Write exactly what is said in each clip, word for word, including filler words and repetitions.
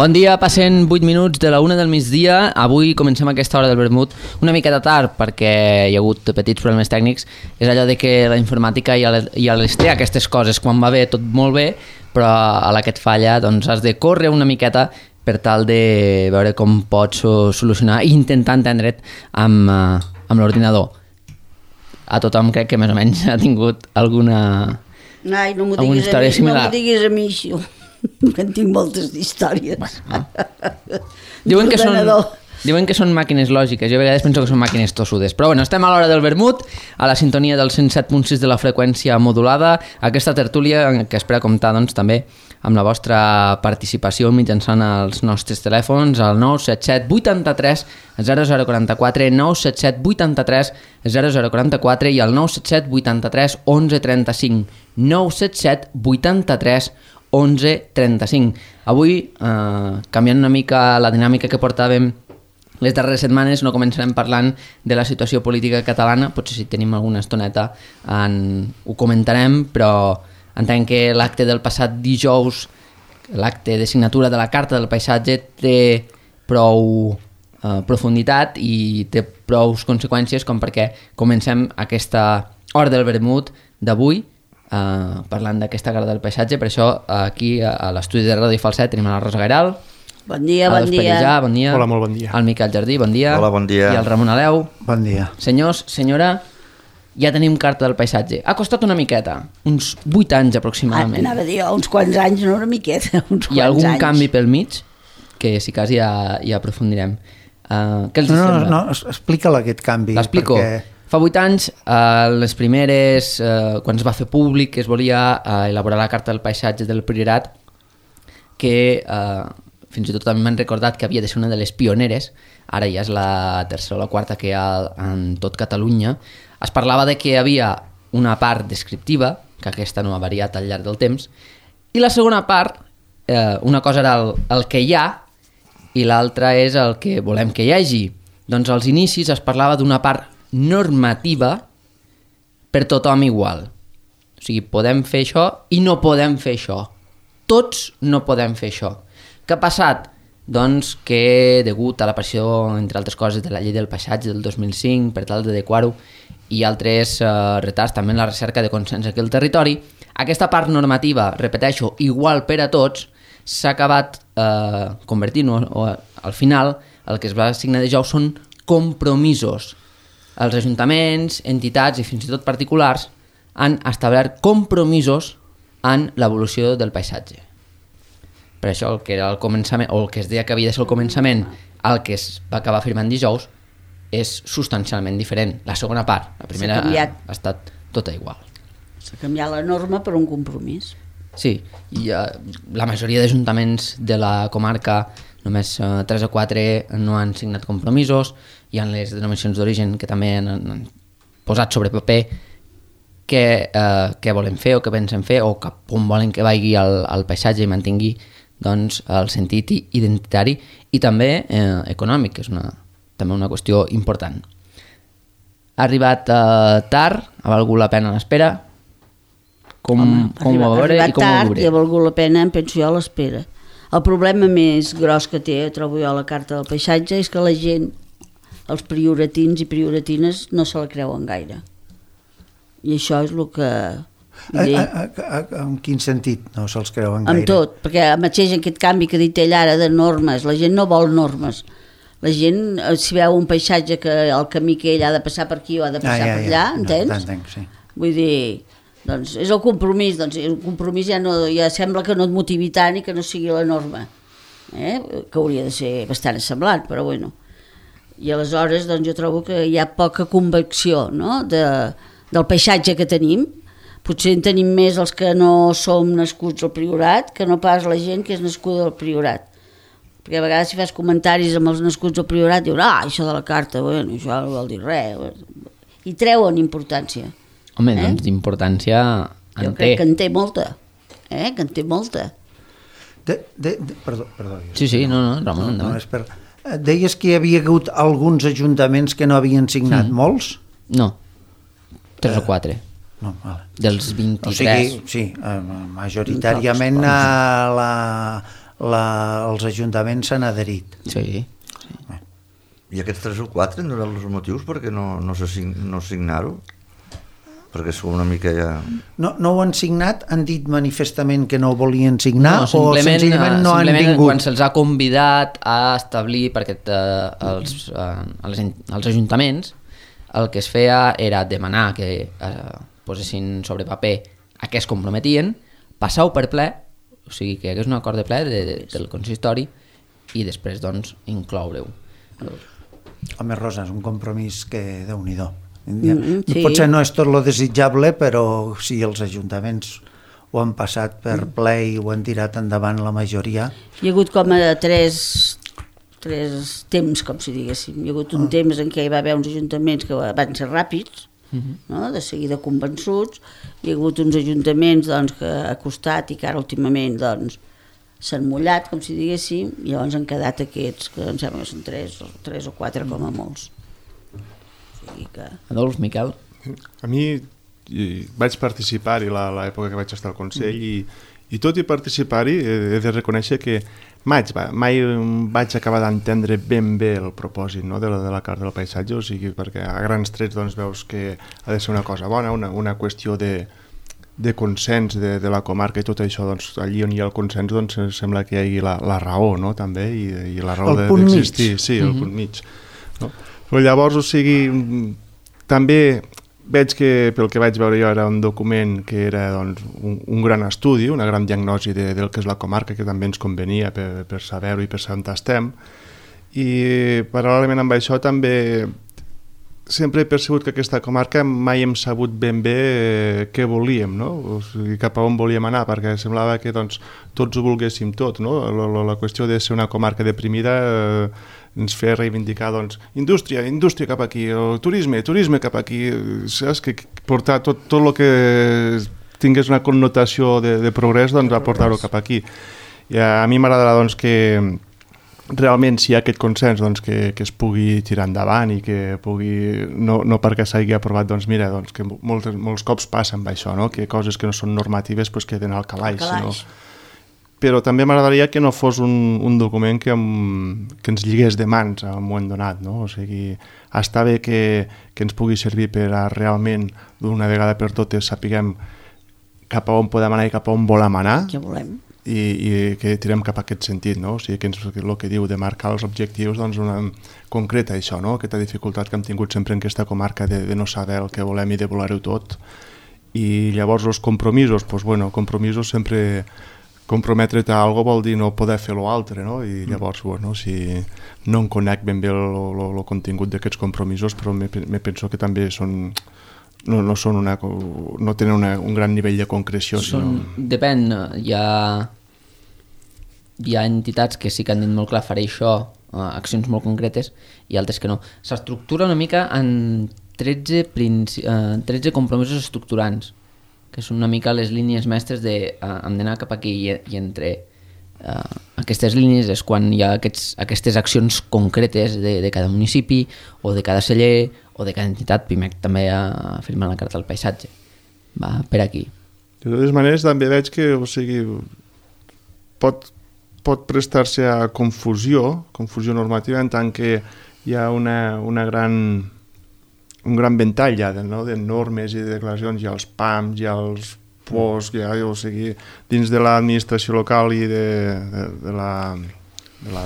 Bon dia, passen vuit minuts de la una del migdia. Avui comencem aquesta hora del vermut una miqueta tard perquè hi ha hagut petits problemes tècnics. És allò de que la informàtica ja les té aquestes coses, quan va bé tot molt bé, però a la que et falla doncs has de córrer una miqueta per tal de veure com pots solucionar i intentar entendre't amb, amb l'ordinador. A tothom crec que més o menys ha tingut alguna, Ai, no alguna història mi, similar. No m'ho diguis a mi, això. En tinc moltes històries. Bueno, diuen, que són, diuen que són màquines lògiques. Jo a vegades penso que són màquines tossudes. Però bueno, estem a l'hora del vermut, a la sintonia del cent set punt sis de la freqüència modulada. Aquesta tertúlia que espera comptar doncs, també amb la vostra participació mitjançant els nostres telèfons al nou set set vuitanta-tres zero zero quaranta-quatre, nou set set vuitanta-tres zero zero quaranta-quatre i al nou set set vuitanta-tres onze trenta-cinc, nou set set vuitanta-tres onze trenta-cinc. Avui, eh, canviant una mica la dinàmica que portàvem les darreres setmanes, no començarem parlant de la situació política catalana, potser si tenim alguna estoneta en, ho comentarem, però entenc que l'acte del passat dijous, l'acte de signatura de la Carta del Paisatge, té prou eh, profunditat i té prou conseqüències com perquè comencem aquesta hora del vermut d'avui, Uh, parlant d'aquesta Carta del Paisatge. Per això aquí a l'estudi de Ràdio Falset tenim a la Rosa Gairal, bon dia, bon dia. Pellijà, bon dia. Hola, molt bon dia. El Miquel Jardí, bon dia. Hola, bon dia. I el Ramon Aleu. Bon dia. Senyors, senyora, ja tenim Carta del Paisatge. Ha costat una miqueta, uns vuit anys aproximadament. Ah, anava a dir, uns quants anys, no una miqueta, uns quants Hi ha algun anys. canvi pel mig? Que si cas ja, ja aprofundirem. Uh, què els no, sembla? no, no, explica-la aquest canvi. L'explico. Perquè... Fa vuit anys, eh, les primeres, eh, quan es va fer públic que es volia eh, elaborar la Carta del Paisatge del Priorat, que eh, fins i tot també m'han recordat que havia de ser una de les pioneres, ara ja és la tercera o la quarta que hi ha en tot Catalunya, es parlava de que hi havia una part descriptiva, que aquesta no ha variat al llarg del temps, i la segona part, eh, una cosa era el, el que hi ha i l'altra és el que volem que hi hagi. Doncs als inicis es parlava d'una part normativa per tothom igual. O sigui, podem fer això i no podem fer això. Tots no podem fer això. Què ha passat? Doncs que degut a l'aparició, entre altres coses, de la llei del paisatge del dos mil cinc, per tal d'adequar-ho, i altres eh, retards també en la recerca de consens aquí al territori, aquesta part normativa, repeteixo, igual per a tots, s'ha acabat eh, convertint, o, o al final, el que es va signar de jou són compromisos. Els ajuntaments, entitats i fins i tot particulars han establert compromisos en l'evolució del paisatge. Per això el que era el començament, o el que es deia que havia de ser el començament, el que es va acabar firmant dijous, és substancialment diferent. La segona part, la primera ha, ha estat tota igual. S'ha canviat la norma per un compromís. Sí, i uh, la majoria d'ajuntaments de la comarca, només uh, tres o quatre no han signat compromisos. Hi ha les denominacions d'origen que també han, han posat sobre paper què, eh, què volen fer o què pensen fer o cap on volen que vagi el, el paisatge i mantingui doncs, el sentit identitari i també eh, econòmic, que és una, també una qüestió important. Ha arribat eh, tard, ha valgut la pena l'espera. Com, Home, com arriba, ho veuré i com ho tard, veuré? i ha valgut la pena, em penso jo, l'espera. El problema més gros que té, trobo jo, la Carta del Paisatge és que la gent, els prioratins i prioratines, no se la creuen gaire. I això és el que... A, a, a, a, en quin sentit no se'ls creuen gaire? Amb tot, perquè mateix aquest canvi que ha dit ell ara de normes, la gent no vol normes. La gent, si veu un paisatge que el camí que ell ha de passar per aquí o ha de passar ah, ja, per allà, ja. Entens? No, entenc, sí. Vull dir, doncs és el compromís, doncs el compromís ja, no, ja sembla que no et motivi tant i que no sigui la norma, eh? Que hauria de ser bastant semblant, però bueno. I aleshores doncs, jo trobo que hi ha poca convicció, no? de, del paisatge que tenim. Potser en tenim més els que no som nascuts al Priorat que no pas la gent que és nascuda al Priorat. Perquè a vegades si fas comentaris amb els nascuts al Priorat diuen, ah, això de la carta, bueno, això no vol dir res. I treuen importància. Home, eh? doncs d'importància en jo té. crec que en té molta. Eh? Que en té molta. De, de, de, perdó, perdó. Sí, sí, no, no, Ramon, no, no és per... Deies que hi havia hagut alguns ajuntaments que no havien signat, mm. molts? No, tres uh, o quatre. No, vale. Dels vint-i-tres. O sigui, sí, majoritàriament a la, la, els ajuntaments s'han adherit. Sí. sí. I aquests tres o quatre no eren els motius perquè no, no, se sign, no signar-ho? Perquè és una mica ja... No, no ho han signat? Han dit manifestament que no ho volien signar? No, o senzillament no han vingut? Quan se'ls ha convidat a establir, perquè eh, els, eh, els, els ajuntaments el que es feia era demanar que eh, posessin sobre paper a què es comprometien, passar-ho per ple, o sigui que hi hagués un acord de ple de, de, del consistori i després doncs incloure-ho. Home, Rosa, és un compromís que Déu-n'hi-do. Mm, sí. Potser no és tot lo desitjable, però si els ajuntaments ho han passat per ple i ho han tirat endavant la majoria. Hi ha hagut com a tres, tres temps, com si diguéssim. Hi ha hagut un ah. temps en què hi va haver uns ajuntaments que van ser ràpids, uh-huh. no? De seguida convençuts. Hi ha hagut uns ajuntaments doncs, que ha costat i que ara últimament doncs, s'han mullat, com si diguéssim, i llavors han quedat aquests, que em sembla que són tres, tres o quatre com a molts. Que... Adolf, Miquel? A mi vaig participar-hi l'època que vaig estar al Consell i, i tot i participar-hi he de reconèixer que mai, mai vaig acabar d'entendre ben bé el propòsit, no, de, la, de la Carta del Paisatge, o sigui, perquè a grans trets doncs, veus que ha de ser una cosa bona, una, una qüestió de, de consens de, de la comarca i tot això, doncs, allí on hi ha el consens doncs, sembla que hi hagi la, la raó, no, també, i, i la raó d'existir. De, sí, el uh-huh. punt mig. No? Però llavors, o sigui, també veig que pel que vaig veure jo era un document que era doncs, un, un gran estudi, una gran diagnosi de, del que és la comarca, que també ens convenia per, per saber-ho i per saber on estem. I paral·lelament amb això també sempre he percebut que aquesta comarca mai hem sabut ben bé eh, què volíem, no? O sigui, cap a on volíem anar, perquè semblava que doncs, tots ho volguéssim tot, no? La, la, la qüestió de ser una comarca deprimida eh, ens feia reivindicar doncs, indústria, indústria cap aquí, o turisme, turisme cap aquí, saps? Que portar tot, tot el que tingués una connotació de, de progrés, doncs a portar-ho cap aquí. I a, a mi m'agradarà doncs, que realment si hi ha aquest consens doncs, que, que es pugui tirar endavant i que pugui, no, no perquè s'hagi aprovat, doncs mira, doncs, que molts, molts cops passa amb això, no? Que coses que no són normatives pues, queden al calaix. Al calaix. No? Però també m'agradaria que no fos un, un document que, em, que ens lligués de mans a un moment donat, no? O sigui, està bé que, que ens pugui servir per a realment, d'una vegada per totes, sapiguem cap a on podem anar i cap a on volem anar. Què volem. I, i que tirem cap a aquest sentit, no? O sigui, que ens, el que diu de marcar els objectius, doncs una, concreta això, no? Aquesta dificultat que hem tingut sempre en aquesta comarca de, de no saber el que volem i de voler-ho tot. I llavors els compromisos, doncs bueno, compromisos sempre comprometre't a alguna cosa vol dir no poder fer l'altre, no? I llavors, bueno, si no em conec ben bé el contingut d'aquests compromisos, però me, me penso que també són... No, no, són una, no tenen una, un gran nivell de concreció. Són, sinó... Depèn, hi ha, hi ha entitats que sí que han dit molt clar faré això, accions molt concretes, i altres que no. S'estructura una mica en tretze, princi... tretze compromisos estructurants, que són una mica les línies mestres de uh, hem d'anar cap aquí i, i entre uh, aquestes línies és quan hi ha aquests, aquestes accions concretes de, de cada municipi o de cada celler o de cada entitat. Pimec també ha firmat la Carta del Paisatge. Va per aquí. De totes maneres també veig que o sigui, pot, pot prestar-se a confusió, confusió normativa, en tant que hi ha una, una gran... un gran ventall ja de, no? de normes i de declaracions, hi ha els P A Ms, hi ha els P O S, hi ha, o sigui, dins de l'administració local i de, de, de la, de la,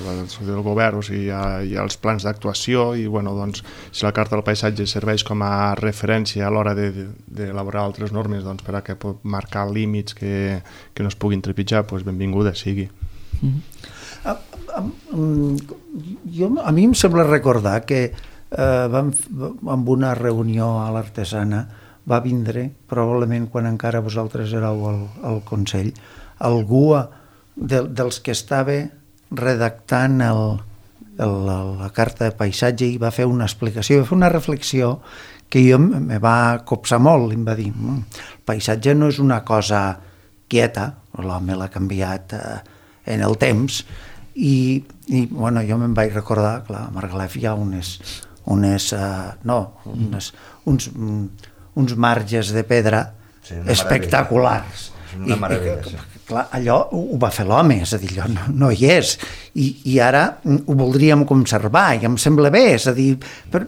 del govern, o sigui, hi ha, hi ha els plans d'actuació i, bueno, doncs, si la Carta del Paisatge serveix com a referència a l'hora d'elaborar altres normes doncs, per a que pot marcar límits que, que no es puguin trepitjar, doncs benvinguda sigui. Mm-hmm. a, a, jo, a mi em sembla recordar que Eh, vam, amb una reunió a l'Artesana va vindre, probablement quan encara vosaltres éreu al, al Consell, algú de, dels que estava redactant el, el, la Carta de Paisatge i va fer una explicació, va fer una reflexió que jo me va copsar molt, em va dir el paisatge no és una cosa quieta, l'home l'ha canviat eh, en el temps i, i bueno, jo me'n vaig recordar, clar, a Margalef hi ha unes unes, uh, no, unes, uns, uns marges de pedra sí, espectaculars. És una meravella, sí. Clar, allò ho va fer l'home, és a dir, allò no, no hi és, I, i ara ho voldríem conservar, i em sembla bé, és a dir, per,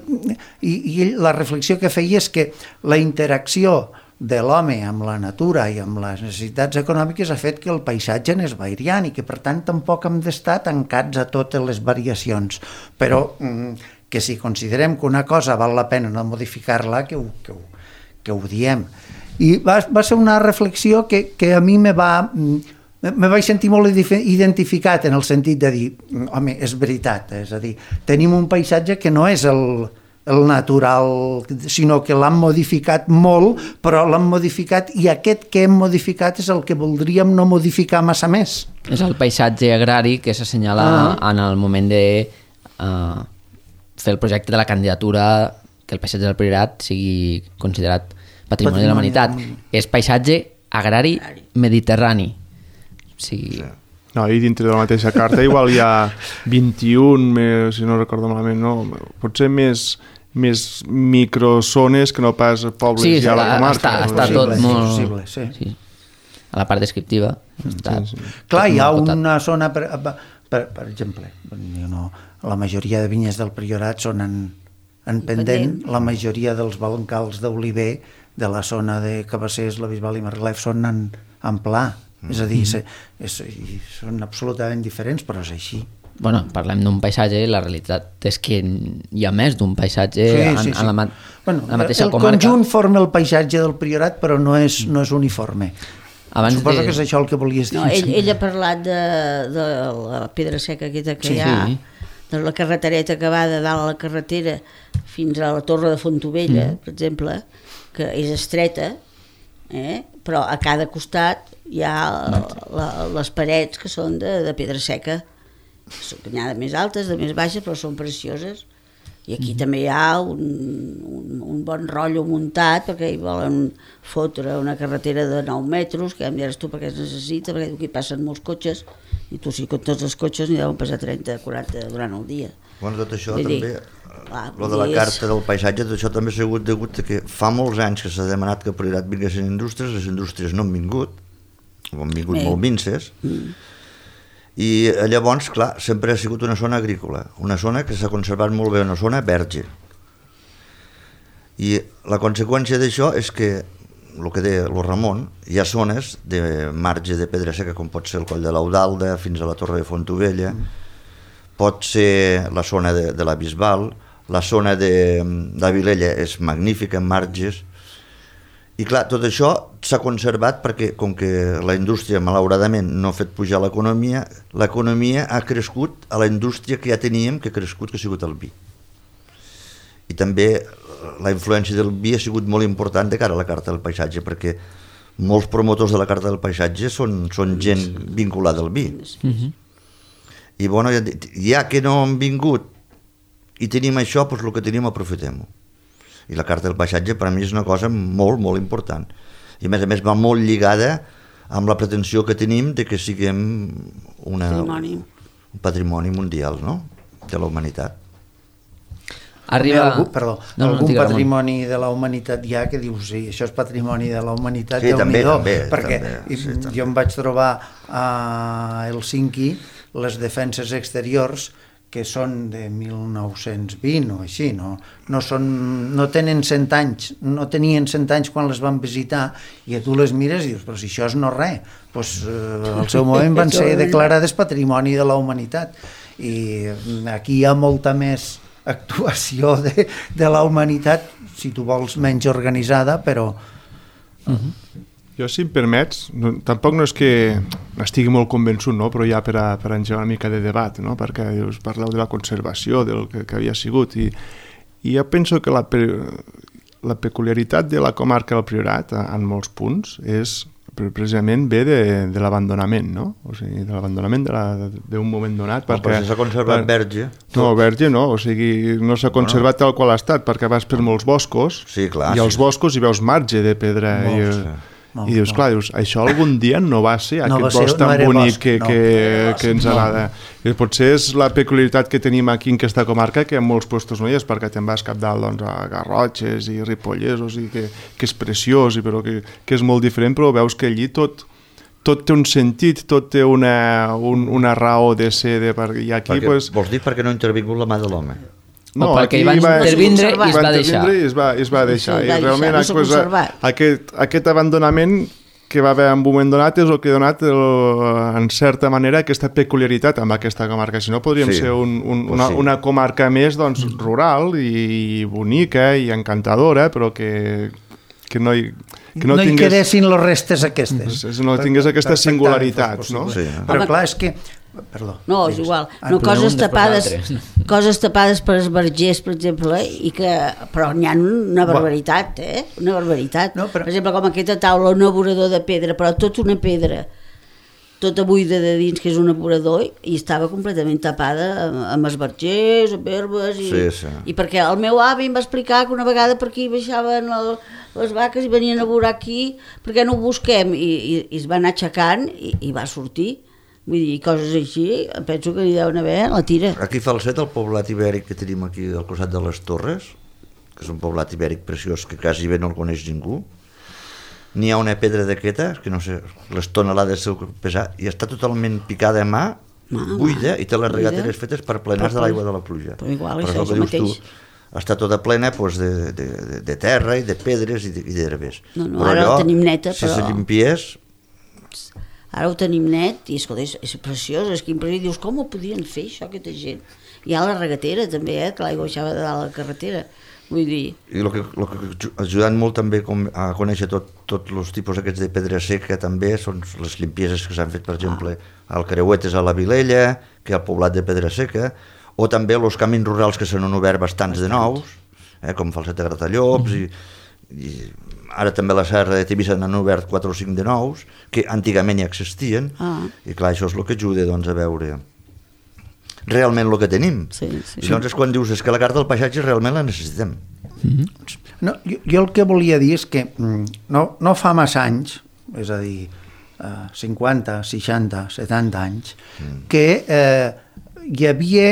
i, i la reflexió que feia és que la interacció de l'home amb la natura i amb les necessitats econòmiques ha fet que el paisatge anés variant i que per tant tampoc hem d'estar tancats a totes les variacions, però que si considerem que una cosa val la pena no modificar-la, que ho, que ho, que ho diem. I va, va ser una reflexió que, que a mi me va... me vaig sentir molt identificat en el sentit de dir, home, és veritat, és a dir, tenim un paisatge que no és el, el natural, sinó que l'han modificat molt, però l'han modificat i aquest que hem modificat és el que voldríem no modificar massa més. És el paisatge agrari que s'assenyala ah. en el moment de uh, fer el projecte de la candidatura que el paisatge del Priorat sigui considerat Patrimoni, Patrimoni de la Humanitat. És paisatge agrari mediterrani. Sí. No, i dintre de la mateixa carta igual hi ha vint-i-un, si no recordo malament, no? Potser més, més microzones que no pas pobles sí, ja a la comarca. Està, està tot possible, molt... possible, sí. Sí. A la part descriptiva. Està sí, sí. Clar, hi ha una zona, per, per, per exemple, no, la majoria de vinyes del Priorat són en, en pendent, la majoria dels bancals d'oliver de la zona de Cabassers, la Bisbal i Margalef són en, en pla. Mm. És a dir, és, és, són absolutament diferents, però és així. Bueno, parlem d'un paisatge, la realitat és que hi ha més d'un paisatge sí, en, sí, sí. en la, ma bueno, la mateixa el comarca. El conjunt forma el paisatge del Priorat, però no és, no és uniforme. Abans Suposo de... que és això el que volies dir. No, ell, ell ha parlat de, de la pedra seca aquesta que sí, hi ha, sí. de la carretereta que va de dalt a la carretera fins a la Torre de Fontovella, mm. per exemple, que és estreta, eh? però a cada costat hi ha la, la, les parets que són de, de pedra seca, n'hi ha de més altes, de més baixes, però són precioses. I aquí mm-hmm. també hi ha un, un, un bon rotllo muntat, perquè hi volen fotre una carretera de nou metres, que ja em diràs tu per què es necessita, perquè aquí passen molts cotxes, i tu sí que tots els cotxes n'hi deuen passar trenta, quaranta durant el dia. Bueno, tot això Vull també... Dir, Lo de la carta del paisatge, tot això també ha sigut degut a que fa molts anys que s'ha demanat que a Priorat vinguessin indústries, les indústries no han vingut, o han vingut Bé. molt minces, mm. i llavors, clar, sempre ha sigut una zona agrícola, una zona que s'ha conservat molt bé, una zona verge. I la conseqüència d'això és que, el que deia el Ramon, hi ha zones de marge de pedra seca, com pot ser el Coll de l'Audalda, fins a la Torre de Fontovella, mm. pot ser la zona de, de la Bisbal, la zona de, de Vilella és magnífica en marges, i clar, tot això s'ha conservat perquè com que la indústria malauradament no ha fet pujar l'economia, l'economia ha crescut a la indústria que ja teníem, que ha crescut, que ha sigut el vi. I també la influència del vi ha sigut molt important de cara a la carta del paisatge, perquè molts promotors de la carta del paisatge són, són gent vinculada al vi. Mm-hmm. I bueno, ja que no han vingut i tenim això, doncs el que tenim aprofitem-ho. I la carta del paisatge per a mi és una cosa molt, molt important. I a més a més va molt lligada amb la pretensió que tenim de que siguem una, patrimoni. un patrimoni mundial, no?, de la humanitat. Arriba... Algú, perdó, no, algun no, patrimoni Ramon. De la humanitat hi ha que dius, sí, això és patrimoni de la humanitat, sí, també, també, perquè també, sí, jo també. em vaig trobar a Helsinki les defenses exteriors que són de mil nou-cents vint o així, no, no, són, no tenen cent anys, no tenien cent anys quan les van visitar, i a tu les mires i dius, però si això és no res, doncs eh, al seu moment van ser declarades patrimoni de la humanitat, i aquí hi ha molta més actuació de, de la humanitat, si tu vols menys organitzada, però... Uh-huh. Jo, si em permets, no, tampoc no és que estigui molt convençut, no? Però ja per, a, per engegar una mica de debat, no? Perquè us parleu de la conservació, del que, que havia sigut, i, i jo penso que la, la peculiaritat de la comarca del Priorat, en molts punts, és precisament ve de, de l'abandonament, no? O sigui, de l'abandonament d'un moment donat. No, perquè s'ha conservat per, verge. No, verge no, o sigui, no s'ha conservat bueno. tal qual ha estat, perquè vas per molts boscos, sí, clar, i als sí. boscos hi veus marge de pedra. Molts, i, sí. No, i dius, no. clar, dius, això algun dia no va ser no aquest va ser, bosc tan no bonic bosc, que, no. que, no. que ens agrada. No. I potser és la peculiaritat que tenim aquí en aquesta comarca, que en molts puestos no hi és, perquè te'n vas cap dalt doncs, a Garrotxes i Ripollès, o sigui, que, que és preciós, i però que, que és molt diferent, però veus que allí tot tot té un sentit, tot té una, un, una raó de ser, de, i aquí perquè, pues, vols dir perquè no ha intervingut la mà de l'home? No, perquè hi va intervindre i es va deixar. I es va, es va deixar. Sí, I realment no s'ha pues, conservat. aquest, aquest abandonament que va haver en un moment donat és el que ha donat el, en certa manera aquesta peculiaritat amb aquesta comarca. Si no podríem Sí, ser un, un, pues una, sí. una comarca més doncs, rural i bonica i encantadora, però que, que no hi, que no, no hi tingués... quedessin les restes aquestes. No tingués aquestes Per- per singularitats, no? Sí. Però clar, és que... Perdó. No, és igual. Ah, No, però coses un després tapades, l'altre. coses tapades per esbargers, per exemple, i que, però n'hi ha una barbaritat, eh? Una barbaritat. No, però- Per exemple, com aquesta taula, un aburador de pedra, però tot una pedra, tota buida de dins, que és un aburador, i estava completament tapada amb, amb esbargers, amb herbes, i, Sí, sí. i perquè el meu avi em va explicar que una vegada per aquí baixaven el, les vaques i venien a veure aquí, perquè no ho busquem, i, i, i es va anar aixecant i, i va sortir. Vull dir, coses així, penso que hi deuen haver a la tira. Aquí a Falset, el poblat ibèric que tenim aquí al costat de les Torres, que és un poblat ibèric preciós que quasi bé no el coneix ningú, n'hi ha una pedra d'aquesta, que no sé, les tonelades seu pesar, i està totalment picada a mà, Ah, buida, i té les buida. regateres fetes per plenes de l'aigua de la pluja. Però igual, Però això és és el el que dius mateix. tu, està tota plena doncs, de, de, de, de terra i de pedres i de- i d'herbes. No, no, ara la tenim neta, si però- se limpiés, Ara ho tenim net i escolta, és, és preciós, és que impressionant. Dius, com ho podien fer això, aquesta gent? Hi ha la regatera també, eh, que l'aigua baixava de dalt a la carretera. Vull dir, i el que, el que ajudant molt també com a conèixer tots tot els tipus aquests de pedra seca també són les limpieses que s'han fet, per exemple, al Creuetes a la Vilella, que al poblat de Pedra Seca, o també els camins rurals que s'han obert bastants de nous, eh, com Falset de Gratallops, i, i ara també a la Serra de Tivissa n'han obert quatre o cinc de nous, que antigament ja existien, Ah. i clar, això és el que ajuda doncs, a veure realment el que tenim. Sí, sí. I llavors és quan dius és que la carta del paisatge realment la necessitem. No, jo, jo el que volia dir és que mm, no, no fa massa anys, és a dir, eh, cinquanta, seixanta, setanta anys, mm. que eh, hi havia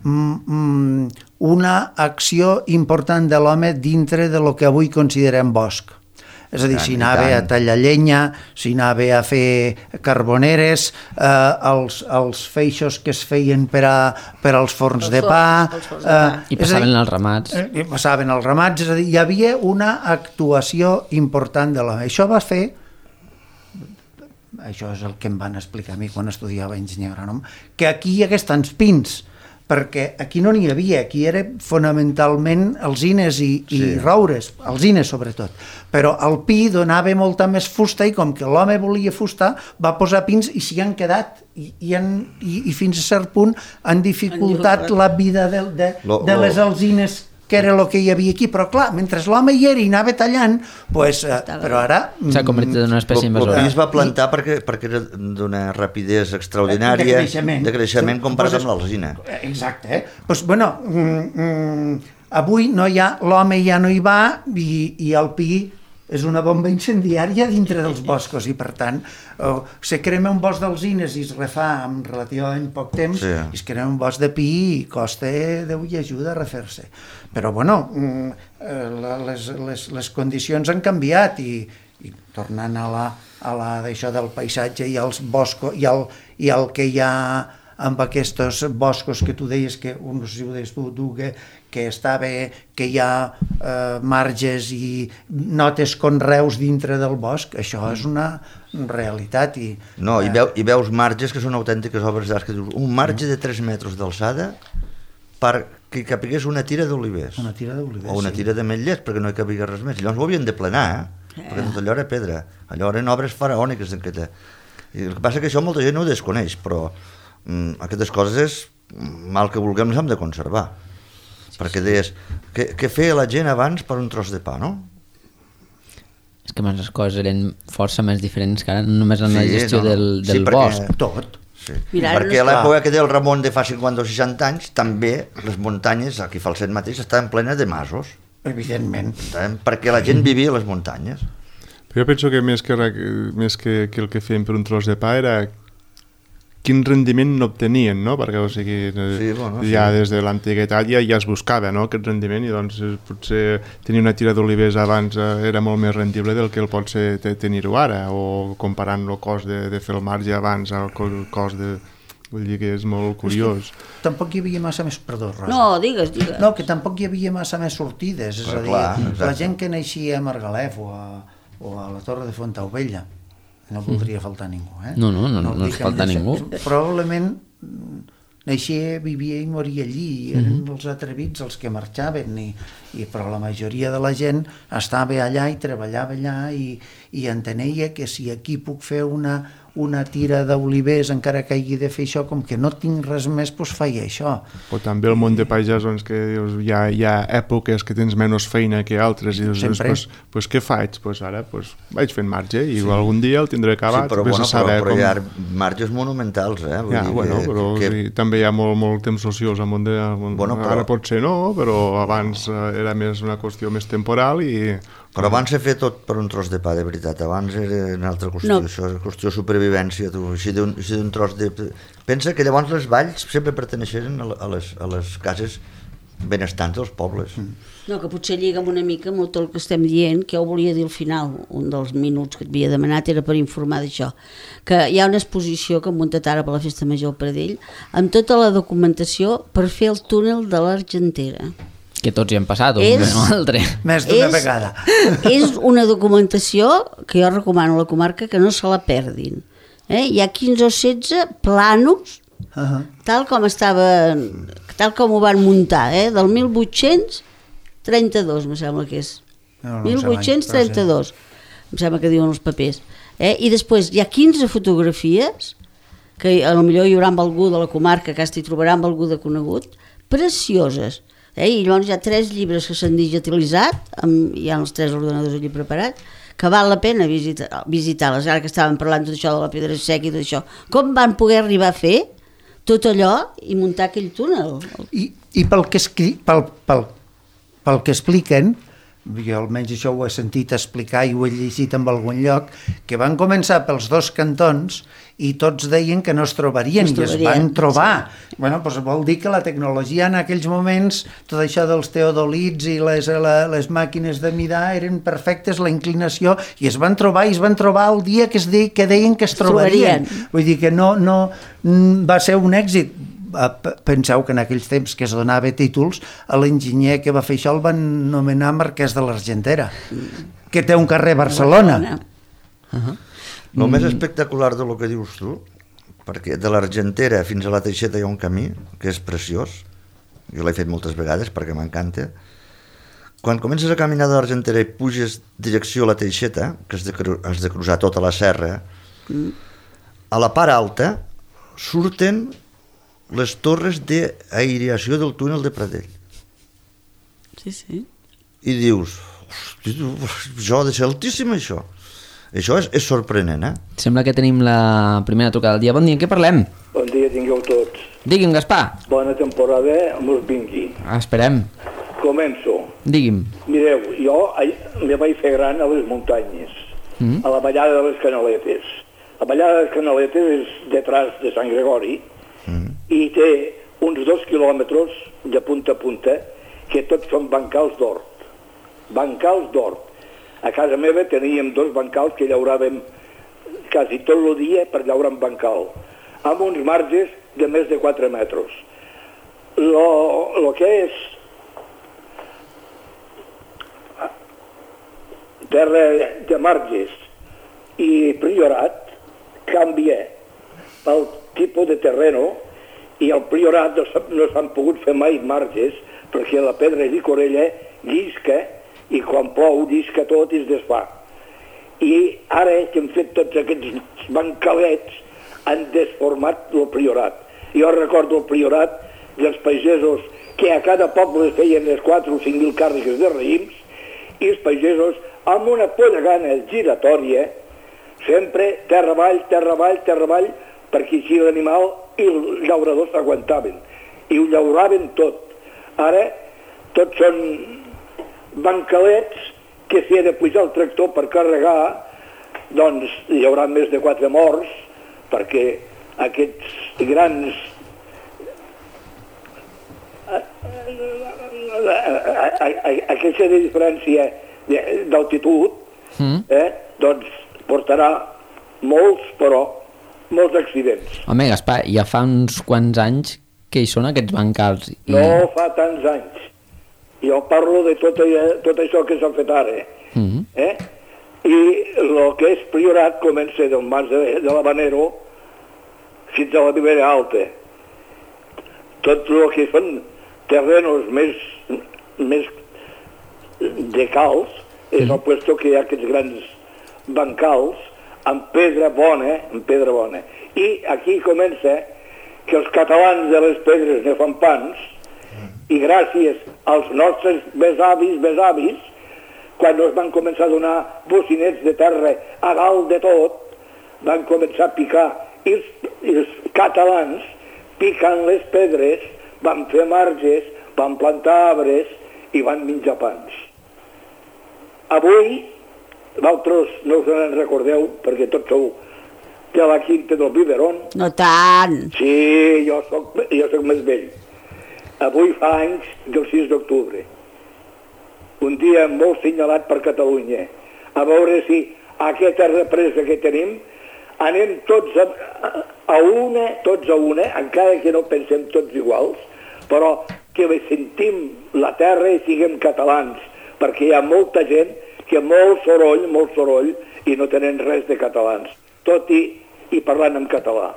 mm, mm, una acció important de l'home dintre de lo que avui considerem bosc. És a dir, Tant, si i anava tant. a tallar llenya, si anava a fer carboneres, eh, els, els feixos que es feien per, a, per als forns Els de forns, pa... els forns de pa. I és a passaven dir, els ramats. Eh, I passaven els ramats, és a dir, hi havia una actuació important de l'home. Això va fer, això és el que em van explicar a mi quan estudiava enginyer agrònom, que aquí hi hagués tants pins, perquè aquí no n'hi havia, aquí era fonamentalment alzines i, i Sí. roures, alzines sobretot, però el pi donava molta més fusta i com que l'home volia fusta va posar pins i s'hi han quedat i, i, han, i, i fins a cert punt han dificultat dificultat. la vida de, de, Lo- de lo- les alzines que era el que hi havia aquí, però clar, mentre l'home hi era i anava tallant, pues, eh, però ara... S'ha convertit en una espècie El invasora. pi es va plantar perquè, perquè era d'una rapidesa extraordinària De creixement. de creixement comparat Poses- amb l'alzina. Exacte, eh? Pues, bueno, mm, mm, avui no hi ha, l'home ja no hi va i, i el pi és una bomba incendiària dintre dels boscos i per tant eh, se crema un bosc d'alzines i es refà en relativament poc temps Sí. i es crema un bosc de pi i costa Déu i ajuda a refer-se. Però bueno, mm, eh, la- les, les, les condicions han canviat i, i tornant a la, a la d'això del paisatge i els boscos i el, i el que hi ha amb aquests boscos que tu deies que, no sé si ho deies tu, tu que, que està bé, que hi ha eh, marges i notes conreus dintre del bosc, això és una realitat. I, No, i, eh, veu, i veus marges que són autèntiques obres d'art, que dius, un marge de tres metres d'alçada perquè capigués una tira d'olivers. Una tira d'olivers, O una sí. tira de metllers, perquè no hi cabia res més. I llavors ho havien de plenar, eh? perquè tot allò era pedra. Allò eren obres faraòniques. Aquesta. I el que passa que això molta gent no ho desconeix, però mm, aquestes coses, mal que vulguem, les hem de conservar. Sí, perquè deies, què, què feia la gent abans per un tros de pa, no? És que abans les coses eren força més diferents que ara, no només en la Sí, gestió no, no. del, Sí, del perquè- bosc. tot. Sí. Mira, ara perquè no a és l'època clar. que deia el Ramon de fa cinquanta o seixanta anys, també les muntanyes, aquí a Falset mateix, estaven plenes de masos, Evidentment. estaven, perquè la gent vivia a les muntanyes. Però jo penso que més que, re- més que, que el que feien per un tros de pa era quin rendiment n'obtenien, no? Perquè, o sigui, sí, bueno, ja sí. des de l'antiguitat ja, ja es buscava, no?, aquest rendiment, i doncs potser tenir una tira d'olivers abans era molt més rendible del que el pot ser tenir-ho ara, o comparant el cost de, de fer el marge abans al cost de... Vull dir que és molt curiós. És que tampoc hi havia massa més... Perdó, Rosa. No, digues, digues. No, que tampoc hi havia massa més sortides. És Però a dir, clar, la exacte. gent que naixia a Margalef o a, o a la Torre de Fontaubella, no voldria faltar ningú, eh? No, no, no, ho no dic ens falta amb ningú. lleixa- Probablement naixia, vivia i moria allí, eren mm -hmm. els atrevits els que marxaven, i, i, però la majoria de la gent estava allà i treballava allà, i, i entenia que si aquí puc fer una, una tira d'olivers encara que hagi de fer això, com que no tinc res més, doncs faig això. O també el món de pagès, doncs, que dius, hi ha, hi ha èpoques que tens menys feina que altres, i dius, Sempre. pues, pues, què faig? Pues ara pues, vaig fent marge, i sí. algun dia el tindré acabat. Sí, però, vés bueno, a saber però, però com... hi ha marges monumentals, eh? Vull Ja, dir bueno, que, però que... sí, també hi ha molt, molt temps ociós al món de... Bueno, però- Ara potser no, però abans eh, era més una qüestió més temporal i... Però abans he fet tot per un tros de pa, de veritat. Abans era una altra qüestió, No. això és qüestió de supervivència, tu, així d'un així d'un tros de... Pensa que llavors les valls sempre perteneixen a, a, les, a les cases benestants dels pobles. Mm. No, que potser lliga amb una mica amb tot el que estem dient, que jo volia dir al final, un dels minuts que et havia demanat era per informar d'això, que hi ha una exposició que hem muntat ara per la Festa Major al Pradell, amb tota la documentació per fer el túnel de l'Argentera. Que tots hi hem passat, un És- o altre. Més d'una És- vegada. És una documentació que jo recomano a la comarca que no se la perdin. Eh? Hi ha quinze o setze planos, Uh -huh. tal com estava, tal com ho van muntar, eh? del mil vuit-cents trenta-dos, me sembla que és. No, no sé mil vuit-cents trenta-dos, em sembla que diuen els papers. Eh? I després hi ha quinze fotografies, que a lo millor hi haurà amb algú de la comarca, que hi trobarà amb algú de conegut, precioses. Eh? I llavors hi ha tres llibres que s'han digitalitzat, amb, hi ha els tres ordenadors allí preparats, que val la pena visitar, visitar-les, ara que estàvem parlant tot això de la pedra seca i tot això. Com van poder arribar a fer tot allò i muntar aquell túnel? I, i pel, que escri, pel, pel, pel que expliquen, jo almenys això ho he sentit explicar i ho he llegit en algun lloc, que van començar pels dos cantons i tots deien que no es trobarien, No es i es trobarien, van trobar. Sí. Bueno, doncs vol dir que la tecnologia en aquells moments, tot això dels teodolits i les, la, les màquines de midar eren perfectes, la inclinació, i es van trobar, i es van trobar el dia que, es de, que deien que es trobarien. trobarien. Vull dir que no, no va ser un èxit. Penseu que en aquells temps que es donava títols, a l'enginyer que va fer això el van nomenar Marquès de l'Argentera, que té un carrer a Barcelona. Uh -huh. El mm. més espectacular de lo que dius tu, perquè de l'Argentera fins a la Teixeta hi ha un camí que és preciós, jo l'he fet moltes vegades perquè m'encanta. Quan comences a caminar de l'Argentera i puges direcció a la Teixeta, que has de, has de cruzar tota la serra, mm. a la part alta surten les torres d'aïreació del túnel de Pradell. Sí, sí. I dius, hosti, això ha de ser altíssim, això. Això és, és sorprenent, eh? Sembla que tenim la primera trucada del dia. Bon dia, què parlem? Bon dia, tingueu tots. Digui'm, Gaspar. Bona temporada, mos vingui. Esperem. Començo. Digui'm. Mireu, jo me vaig fer gran a les muntanyes, Mm. a la ballada de les Canaletes. La ballada de les Canaletes és detrás de Sant Gregori Mm. i té uns dos quilòmetres de punta a punta que tots són bancals d'hort. Bancals d'hort. A casa meva teníem dos bancals que llauràvem quasi tot el dia per llaurar un bancal, amb uns marges de més de quatre metres. Lo, lo que és terra de marges i priorat canvia pel tipus de terreno, i al priorat no s'han no s'han pogut fer mai marges perquè la pedra i corella llisca, i quan plou llisca tot i es desfà. I ara que hem fet tots aquests bancalets han desformat el priorat. Jo recordo el priorat dels pagesos que a cada poble feien les quatre o cinc mil càrregues de raïms, i els pagesos amb una pollegana giratòria, sempre terra avall, terra avall, terra avall, perquè així l'animal i els llauradors s'aguantaven i ho llauraven tot. Ara tots són bancalets que si ha de pujar el tractor per carregar, doncs hi haurà més de quatre morts, perquè aquests grans aquesta diferència d'altitud, mm. eh, doncs portarà molts, però, molts accidents. Home, Gaspar, ja fa uns quants anys que hi són aquests bancals. I... No fa tants anys. Jo parlo de tot, tot això que s'ha fet ara. Mm. Eh? I el que és Priorat comença del mas de, de l'Habanero fins a la Ribera Alta. Tot el que són terrenos més, més de calç és el puesto que hi ha aquests grans bancals amb pedra bona, amb pedra bona. I aquí comença que els catalans de les pedres ne fan pans i gràcies als nostres besavis, besavis, quan es van començar a donar bocinets de terra a dalt de tot, van començar a picar i els, i els catalans picant les pedres van fer marges, van plantar arbres i van menjar pans. Avui, vosaltres no us en recordeu, perquè tots sou de la Quinta del Biberón. No tant. Sí, jo soc, jo soc més vell. Avui fa anys del sis d'octubre. Un dia molt senyalat per Catalunya. A veure si aquesta represa que tenim anem tots a, a una, tots a una, encara que no pensem tots iguals, però que sentim la terra i siguem catalans, perquè hi ha molta gent que molt soroll, molt soroll, i no tenen res de catalans, tot i, i parlant en català.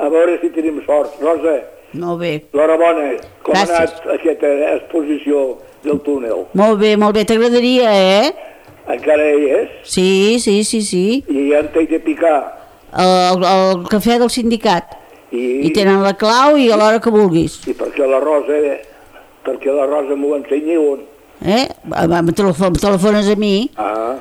A veure si tenim sort. Rosa, molt bé. L'hora bona, com Gràcies. ha anat aquesta exposició del túnel? Molt bé, molt bé, t'agradaria, eh? Encara hi és? Sí, sí, sí, sí. I ja en t'he de picar. El, el cafè del sindicat. I, I tenen la clau i a l'hora que vulguis. I perquè la Rosa, perquè la Rosa m'ho ensenyi on? Eh? Em telefon, telefones a mi. Ah,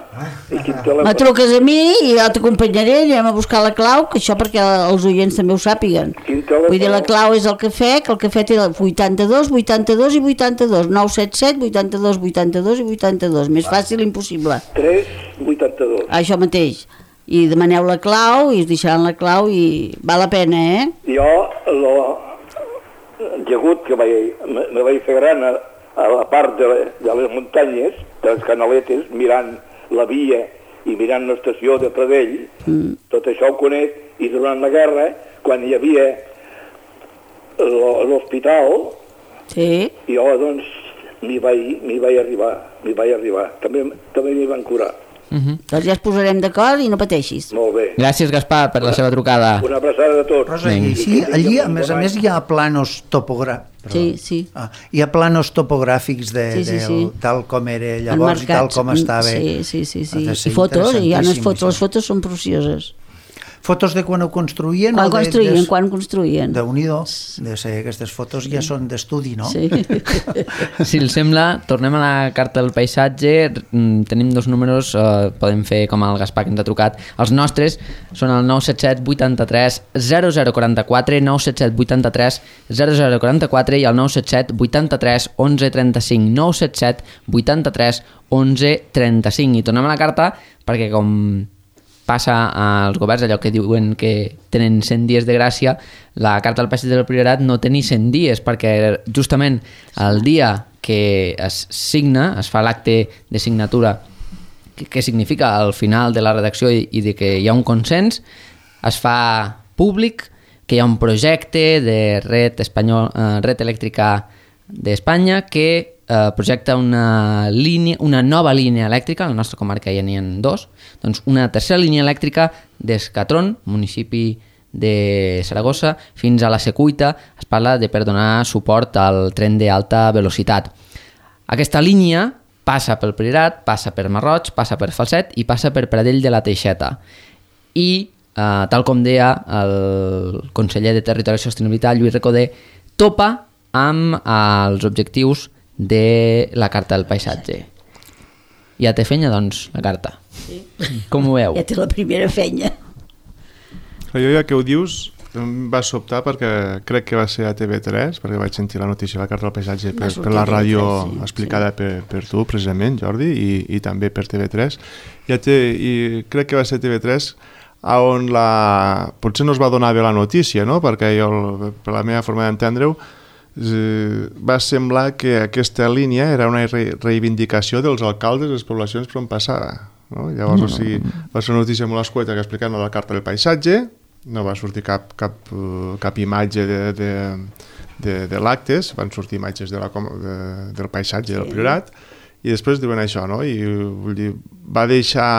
i quin telèfon? Me truques a mi i jo t'acompanyaré, anem a buscar la clau, que això perquè els oients també ho sàpiguen. Quin telèfon? Vull dir, la clau és el cafè, que el cafè té el vuitanta-dos, vuitanta-dos i vuitanta-dos, nou set set, vuitanta-dos, vuitanta-dos i vuitanta-dos, més fàcil impossible. tres, vuitanta-dos. Això mateix. I demaneu la clau i us deixaran la clau i val la pena, eh? Jo, lo, llegut que vaig, me, me vaig fer gran a, a la part de, de les muntanyes, de les canaletes, mirant la via i mirant l'estació de Pradell, mm. tot això ho conec, i durant la guerra, quan hi havia l'hospital, sí. jo doncs m'hi vaig, m'hi vaig arribar, m'hi vaig arribar. També, també m'hi van curar. Uh-huh. Doncs ja ens posarem d'acord i no pateixis. Molt bé. Gràcies, Gaspar, per la seva trucada. Una abraçada de tots. Rosa, i així, allí, a més a més, hi ha planos topogràfics. Sí, sí. Ah, hi ha planos topogràfics de, sí, sí, sí. del, tal com era llavors i tal com estava. Sí, sí, sí, sí. I fotos, hi ha unes fotos, les fotos són precioses. Fotos de quan ho construïen? Quan o de, construïen, des... quan construïen. Déu-n'hi-do, de ser, aquestes fotos ja són d'estudi, no? Sí. Si els sembla, tornem a la carta del paisatge, tenim dos números, eh, podem fer com el Gaspar que ens ha trucat. Els nostres són el nou set set vuitanta-tres zero zero quaranta-quatre, nou set set vuitanta-tres zero zero quaranta-quatre i el nou set set vuitanta-tres onze trenta-cinc, nou set set vuitanta-tres onze trenta-cinc. I tornem a la carta perquè com passa als governs allò que diuen que tenen cent dies de gràcia, la carta del paisatge del Priorat no té ni cent dies, perquè justament el dia que es signa, es fa l'acte de signatura, que, que significa al final de la redacció i, i de que hi ha un consens, es fa públic que hi ha un projecte de red, espanyol, eh, red elèctrica d'Espanya que eh, projecta una, línia, una nova línia elèctrica, a la nostra comarca ja n'hi ha dos, doncs una tercera línia elèctrica d'Escatron, municipi de Saragossa, fins a la Secuita. Es parla de per donar suport al tren d'alta velocitat. Aquesta línia passa pel Priorat, passa per Marroig, passa per Falset i passa per Pradell de la Teixeta. I, eh, tal com deia el conseller de Territori i Sostenibilitat, Lluís Recoder, topa amb els objectius de la carta del paisatge. Ja té fenya, doncs, la carta. Sí. Com ho veu? Ja té la primera fenya. Jo ja que ho dius em va sobtar perquè crec que va ser a T V tres, perquè vaig sentir la notícia de la carta del paisatge per, per la ràdio sí, explicada sí. per, per tu precisament, Jordi, i, i també per T V tres. Ja té, i crec que va ser T V tres on la... potser no es va donar bé la notícia, no? Perquè jo, per la meva forma d'entendre-ho, eh, va semblar que aquesta línia era una re reivindicació dels alcaldes de les poblacions per on passava. No? Llavors, no. O sigui, va ser una notícia molt escueta que explicava la carta del paisatge, no va sortir cap, cap, cap imatge de, de, de, de l'actes, van sortir imatges de la, de, del paisatge del Priorat, i després diuen això, no? I vull dir, va deixar,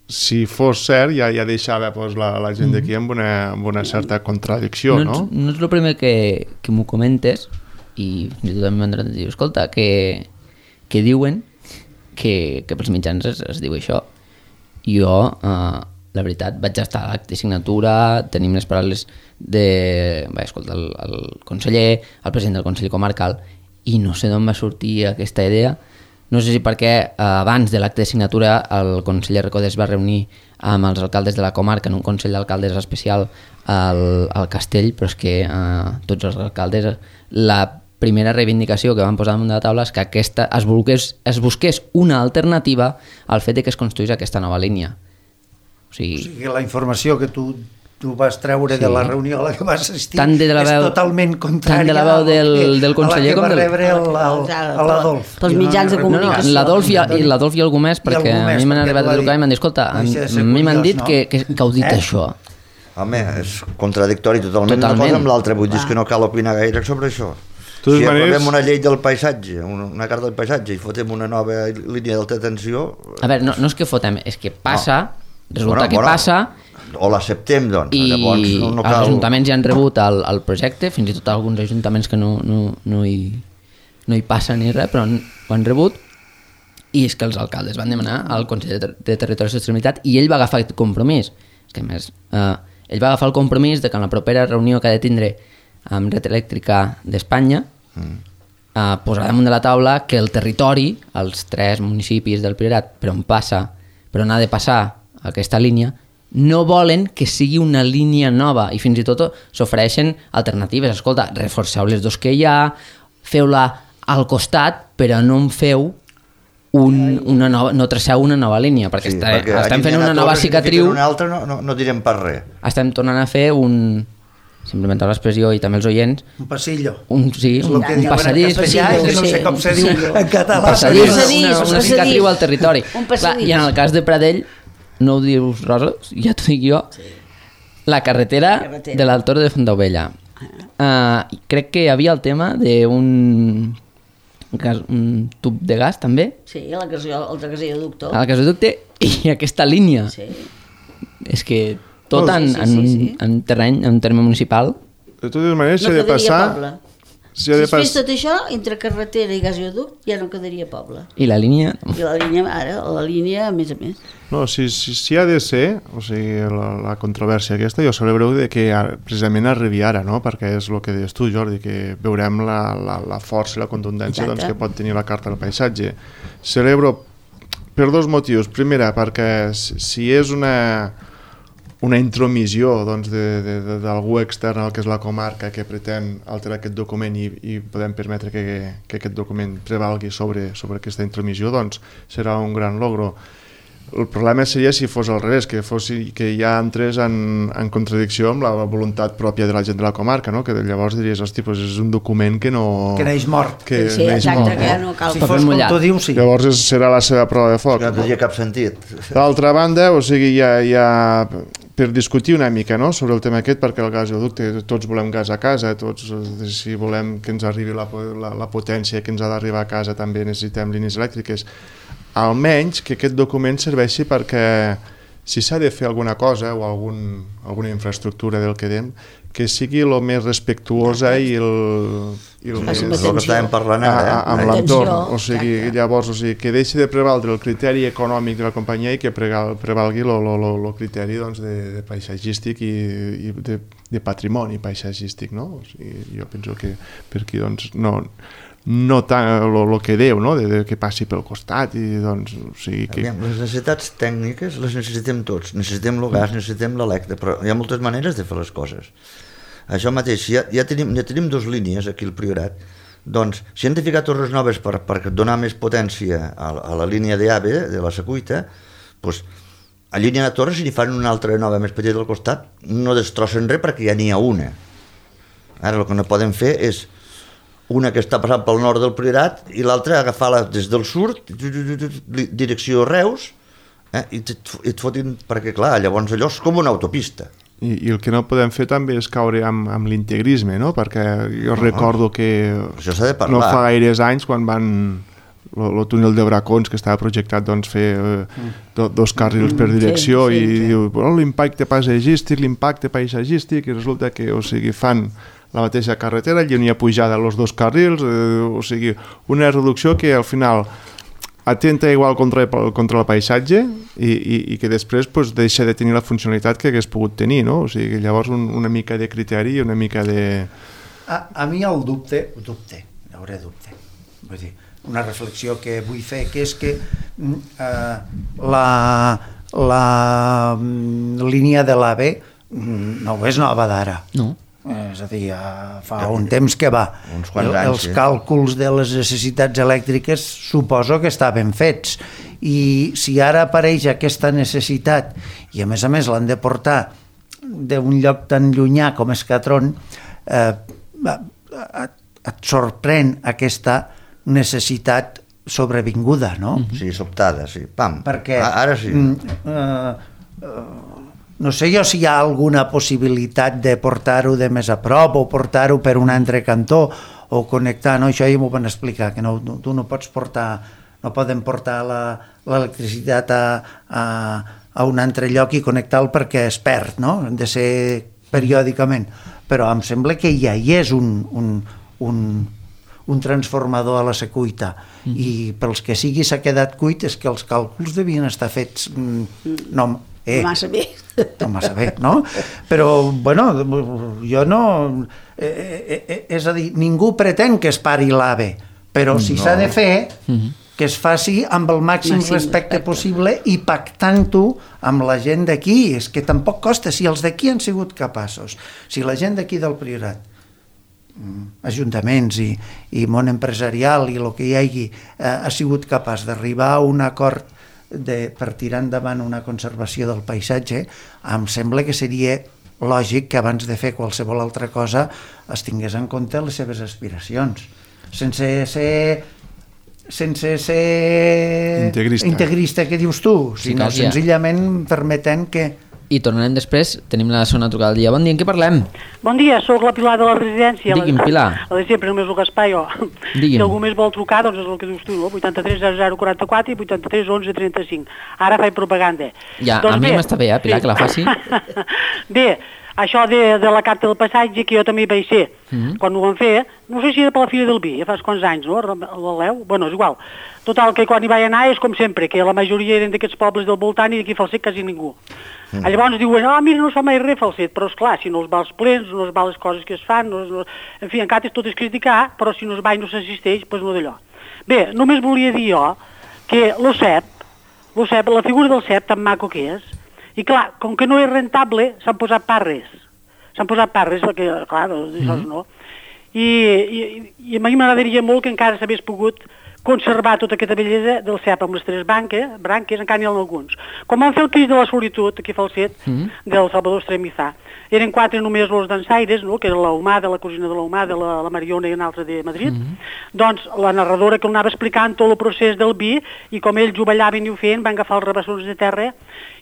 si fos cert, ja, ja deixava pues, la, la gent d'aquí amb, una, amb una certa contradicció, no? No, no és el primer que, que m'ho comentes, i fins i tot també m'han dit, escolta, que, que diuen que, que pels mitjans es, es diu això. Jo, eh, la veritat, vaig estar a l'acte de signatura, tenim les paraules de... Bé, escolta, el, el conseller, el president del Consell Comarcal, i no sé d'on va sortir aquesta idea. No sé si perquè eh, abans de l'acte de signatura el conseller Recoder es va reunir amb els alcaldes de la comarca en un consell d'alcaldes especial al, al Castell, però és que eh, tots els alcaldes, la primera reivindicació que van posar damunt de la taula és que aquesta, es, busqués, es busqués una alternativa al fet de que es construís aquesta nova línia. O sigui, o sigui la informació que tu... tu vas treure sí. de la reunió a la que vas assistir tant de la veu, és totalment contrària tant de la veu del, del conseller a la que va com del... rebre l'Adolf. Els mitjans de comunicació. No, no, l'Adolf i, i l'Adolf i algú més, perquè a mi m'han arribat a trucar i m'han dit, escolta, a mi m'han dit que, que, que heu dit eh? això. Home, és contradictori totalment, totalment. Una cosa amb l'altra, vull dir que no cal opinar gaire sobre això. Si aprovem una llei del paisatge, una carta del paisatge i fotem una nova línia d'alta tensió... A veure, no, no és que fotem, és que passa, no. resulta bueno, que bueno. passa... O l'acceptem, doncs. I Llavors, no, no cal... els ajuntaments ja han rebut el, el projecte, fins i tot alguns ajuntaments que no, no, no, hi, no hi passen ni res, però ho han rebut, i és que els alcaldes van demanar al Consell de, Ter de Territori i Sostenibilitat i ell va agafar aquest compromís. És que, a més, eh, ell va agafar el compromís de que en la propera reunió que ha de tindre amb Red Elèctrica d'Espanya mm. eh, posarà damunt de la taula que el territori, els tres municipis del Priorat, per on passa, per on ha de passar aquesta línia, no volen que sigui una línia nova i fins i tot s'ofereixen alternatives. Escolta, reforceu les dos que hi ha, feu-la al costat, però no en feu un, una nova, no traceu una nova línia, perquè, sí, està, perquè estem fent una nova cicatriu. Una altra no, no, no direm pas res. Estem tornant a fer un... simplement l'expressió i també els oients... Un passillo. Un, sí, un, un passadís. Passillo, que no sé com se diu en català. Un passadís, una, una cicatriu al territori. Clar, i en el cas de Pradell, no ho dius, Rosa, ja t'ho dic jo, sí. la carretera, carretera. de l'Altor de Fontaubella. Uh, crec que hi havia el tema d'un un tub de gas, també. Sí, el gasoducte. El gasoducte i aquesta línia. Sí. És que tot oh, en, sí, sí, en, sí, sí. en terreny, en terme municipal. De totes maneres, s'ha no de passar... Poble. Si, si es fes tot això, entre carretera i gasoducte ja no quedaria poble. I la línia? I la línia, ara, la línia a més a més. No, si, si, si ha de ser, o sigui, la, la controvèrsia aquesta, jo celebro de que precisament arribi ara, no? Perquè és el que deies tu, Jordi, que veurem la, la, la força i la contundència doncs, que pot tenir la carta del paisatge. Celebro per dos motius. Primera, perquè si és una... una intromissió doncs, d'algú extern al que és la comarca que pretén alterar aquest document i, i podem permetre que, que aquest document prevalgui sobre, sobre aquesta intromissió, doncs serà un gran logro. El problema seria si fos al revés, que, fos, que ja entrés en, en contradicció amb la voluntat pròpia de la gent de la comarca, no? Que llavors diries, hosti, doncs és un document que no... Que neix mort. Que sí, neix exacte, mort, que ja no cal. Si fos com tu dius, sí. Llavors és, serà la seva prova de foc. No tenia cap sentit. D'altra banda, o sigui, ja... ja per discutir una mica, no?, sobre el tema aquest, perquè el gasoducte, tots volem gas a casa, tots, si volem que ens arribi la, la, la potència que ens ha d'arribar a casa, també necessitem línies elèctriques. Almenys que aquest document serveixi perquè, si s'ha de fer alguna cosa o algun, alguna infraestructura del que dèiem, que sigui el més respectuosa i el, i el més... És el que estàvem parlant ara, eh? Amb l'entorn. O sigui, llavors, o sigui, que deixi de prevaldre el criteri econòmic de la companyia i que prevalgui el criteri doncs, de, de paisatgístic i, i de, de patrimoni paisatgístic, no? O sigui, jo penso que per aquí, doncs, no... no tant el que deu, no? de, de que passi pel costat i doncs, o sigui que... Aviam, les necessitats tècniques les necessitem tots, necessitem el gas, necessitem l'elèctric, però hi ha moltes maneres de fer les coses. Això mateix, ja, ja, tenim, ja tenim dues línies aquí al Priorat, doncs si hem de ficar torres noves per, per donar més potència a, a la línia d'A V E, de la Secuita, doncs a línia de Torres, si n'hi fan una altra nova més petita al costat, no destrossen res perquè ja n'hi ha una. Ara el que no poden fer és una que està passant pel nord del Priorat i l'altra agafar-la des del sud, direcció Reus, eh, i et fotin, perquè clar, llavors allò és com una autopista. I, i el que no podem fer també és caure amb, amb l'integrisme, no? Perquè jo no, recordo que això s'ha de parlar. No fa gaires anys quan van el túnel de Bracons, que estava projectat doncs, fer eh, do, dos carrils per direcció, sí, sí, i sí. Diu oh, l'impacte paisatgístic, l'impacte paisatgístic, i resulta que, o sigui, fan la mateixa carretera, allí on hi ha pujada als dos carrils, eh, o sigui, una reducció que al final atenta igual contra, contra el paisatge i, i, i que després pues, deixa de tenir la funcionalitat que hagués pogut tenir, no? O sigui, llavors un, una mica de criteri i una mica de... A, a mi el dubte, dubte, hi hauré dubte, vull dir, una reflexió que vull fer, que és que eh, la, la línia de l'AVE no és nova d'ara. No. És a dir, fa un temps que va. Uns quants anys, els càlculs de les necessitats elèctriques suposo que estaven fets, i si ara apareix aquesta necessitat i a més a més l'han de portar d'un lloc tan llunyà com Escatron, eh, et sorprèn aquesta necessitat sobrevinguda, no? Sí, sobtada, sí, pam. Perquè ara sí. Uh, uh, no sé jo si hi ha alguna possibilitat de portar-ho de més a prop o portar-ho per un altre cantó o connectar, no? Això ja m'ho van explicar, que no, tu no pots portar, no poden portar l'electricitat a, a, a un altre lloc i connectar-lo perquè es perd, no? Han de ser periòdicament. Però em sembla que ja hi és un, un, un, un transformador a la secuita, mm. i pels que sigui s'ha quedat cuit és que els càlculs devien estar fets no, eh, no massa bé, no massa bé, no? Però, bueno, jo no... Eh, eh, és a dir, ningú pretén que es pari l'AVE, però si no. s'ha de fer, mm-hmm. que es faci amb el màxim, màxim respecte, respecte possible i pactant-ho amb la gent d'aquí. És que tampoc costa, si els d'aquí han sigut capaços, si la gent d'aquí del Priorat, ajuntaments i, i món empresarial i el que hi hagi eh, ha sigut capaç d'arribar a un acord de, per tirar endavant una conservació del paisatge, em sembla que seria lògic que abans de fer qualsevol altra cosa es tingués en compte les seves aspiracions, sense ser sense ser integrista, integrista que dius tu, sinó sí, senzillament permetent que... I tornarem després, tenim la segona trucada del dia. Bon dia, en què parlem? Bon dia, sóc la Pilar de la residència. Digui'm, Pilar. A de sempre, només el Gaspar, jo. Digui'm. Si algú més vol trucar, doncs és el que dius tu, no? vuitanta-tres zero zero quaranta-quatre i vuitanta-tres onze trenta-cinc. Ara faig propaganda. Ja, doncs a mi bé, m'està bé, eh, Pilar, sí. Que la faci. Bé, això de, de la carta del passatge, que jo també hi vaig ser, mm-hmm. quan ho van fer, no sé si era per la Fira del Vi, ja fa quants anys, no? L'Aleu? Bueno, és igual. Total, que quan hi vaig anar és com sempre, que la majoria eren d'aquests pobles del voltant i d'aquí Falset quasi ningú. Mm. Llavors diuen, ah, mira, no es fa mai res Falset, però esclar, si no es va als plens, no es va a les coses que es fan, no es, no... en fi, encara tot és criticar, però si no es va i no s'assisteix, doncs no d'allò. Bé, només volia dir jo que l'OCEP, l'OCEP, la figura del C E P tan maco que és, i clar, com que no és rentable, s'han posat parres, s'han posat parres, perquè, clar, això mm. no. I, i, i a mi m'agradaria molt que encara s'hagués pogut conservar tota aquesta bellesa del C E P amb les tres branques, branques encara n'hi ha alguns. Com van fer el Crist de la Solitud, aquí a Falset, mm. del Salvador Estremizà, eren quatre només els dansaires, no? Que era l'Humada, la cosina de l'Humada, la, la Mariona i una altra de Madrid, mm. doncs la narradora que anava explicant tot el procés del vi i com ells ho ballaven i ho feien, van agafar els rebassons de terra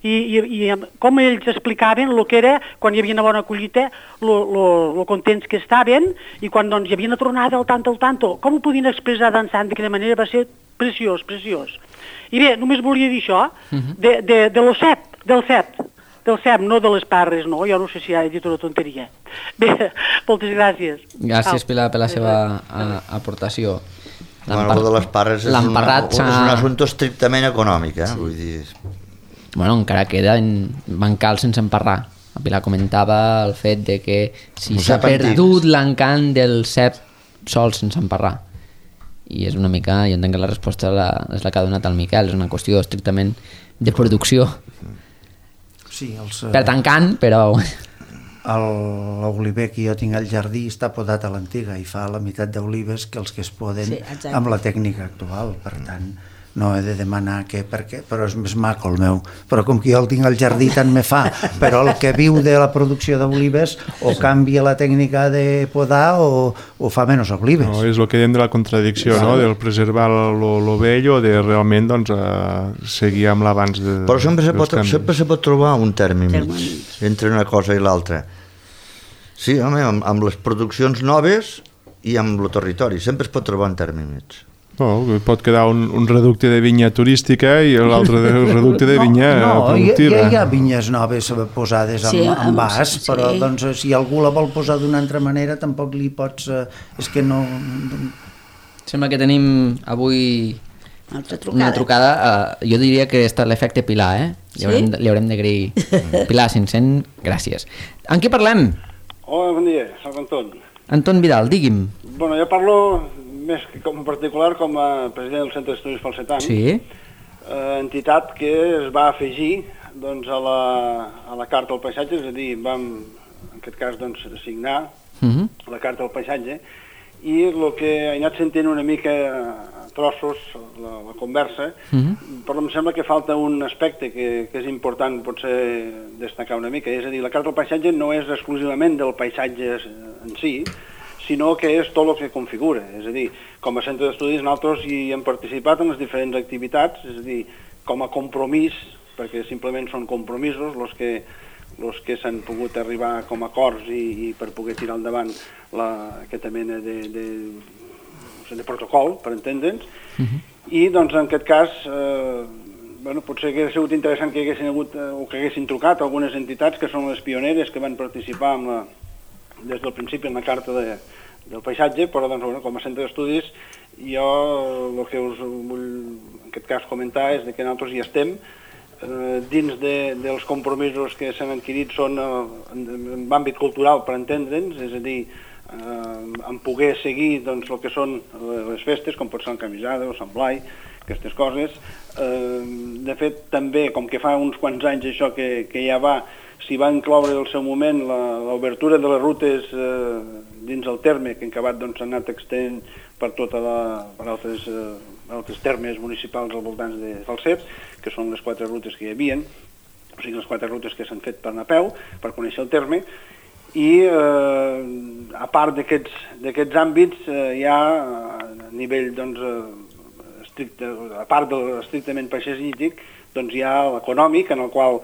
i, i, i com ells explicaven el que era quan hi havia una bona collita, lo contents que estaven, i quan doncs, hi havia una tronada al tanto al tanto, com ho podien expressar dansant de quina manera va ser preciós, preciós. I bé, només volia dir això, uh-huh. de, de, de lo C E P, del C E P, del C E P, no de les parres, no? Jo no sé si ha dit una tonteria. Bé, moltes gràcies. Gràcies, Pilar, per la seva a, aportació. Bueno, el de les parres és, una, és un assumpte estrictament econòmic, eh? Sí. Vull dir... Bueno, encara queda en bancal sense emparrar. La Pilar comentava el fet de que si s'ha perdut l'encant del C E P sol sense emparrar. I és una mica, jo entenc que la resposta la, és la que ha donat el Miquel, és una qüestió estrictament de producció. Sí, els, per tancant, però... L'oliver que jo tinc al jardí està podat a l'antiga i fa la meitat d'olives que els que es poden sí, amb la tècnica actual. Per tant, no he de demanar que, perquè, però és més maco el meu, però com que jo el tinc al jardí tant me fa, però el que viu de la producció d'olives o canvia la tècnica de podar o, o fa menys olives. No, és el que diem de la contradicció, no? Del preservar lo, lo vell o de realment doncs, uh, seguir amb l'abans de, però sempre se, pot, canvis. sempre se pot trobar un terme mig entre una cosa i l'altra. Sí, home, amb, amb les produccions noves i amb el territori, sempre es pot trobar un terme mig. No, pot quedar un, un reducte de vinya turística i l'altre reducte de vinya no, no, productiva. Hi, hi ha vinyes noves posades amb, sí, amb vas, sí. però doncs, si algú la vol posar d'una altra manera tampoc li pots... Eh, és que no... Sembla que tenim avui Una trucada. una trucada. Uh, jo diria que està l'efecte Pilar, eh? Li haurem, Sí? li haurem d'agrair. Pilar, cinc cents, gràcies. En què parlem? Hola, bon dia, soc Anton. Anton Vidal, digui'm. Bueno, jo parlo més que com particular com a president del Centre d'Estudis Falsetans, Sí. eh, entitat que es va afegir doncs, a, la, a la Carta del Paisatge, és a dir, vam, en aquest cas, doncs, signar Uh -huh. la Carta del Paisatge, i el que he anat sentint una mica a trossos, la, la conversa, Uh -huh. però em sembla que falta un aspecte que, que és important potser destacar una mica, és a dir, la Carta del Paisatge no és exclusivament del paisatge en si, sinó que és tot el que configura. És a dir, com a centre d'estudis nosaltres hi hem participat en les diferents activitats, és a dir, com a compromís, perquè simplement són compromisos els que, els que s'han pogut arribar com a acords i, i per poder tirar endavant la, aquesta mena de, de, de protocol, per entendre'ns. Uh-huh. I doncs en aquest cas, eh, bueno, potser hauria sigut interessant que haguessin hagut, eh, o que haguessin trucat algunes entitats que són les pioneres que van participar amb la, des del principi en la Carta de, del Paisatge, però doncs, bueno, com a centre d'estudis jo el que us vull en aquest cas comentar és que nosaltres hi estem eh, dins de, dels compromisos que s'han adquirit són eh, en, en àmbit cultural, per entendre'ns, és a dir, eh, en poder seguir doncs, el que són les festes, com pot ser el Camisada o Sant Blai, aquestes coses. Eh, de fet, també, com que fa uns quants anys això que, que ja va, s'hi va incloure al seu moment l'obertura de les rutes eh, dins el terme, que en acabat doncs, s'ha anat extend per tota la, per altres, eh, altres termes municipals al voltant de Falset, que són les quatre rutes que hi havia, o sigui, les quatre rutes que s'han fet per anar a peu, per conèixer el terme, i eh, a part d'aquests àmbits eh, hi ha a nivell doncs, eh, estricte, a part de l'estrictament paisatgístic, doncs hi ha l'econòmic, en el qual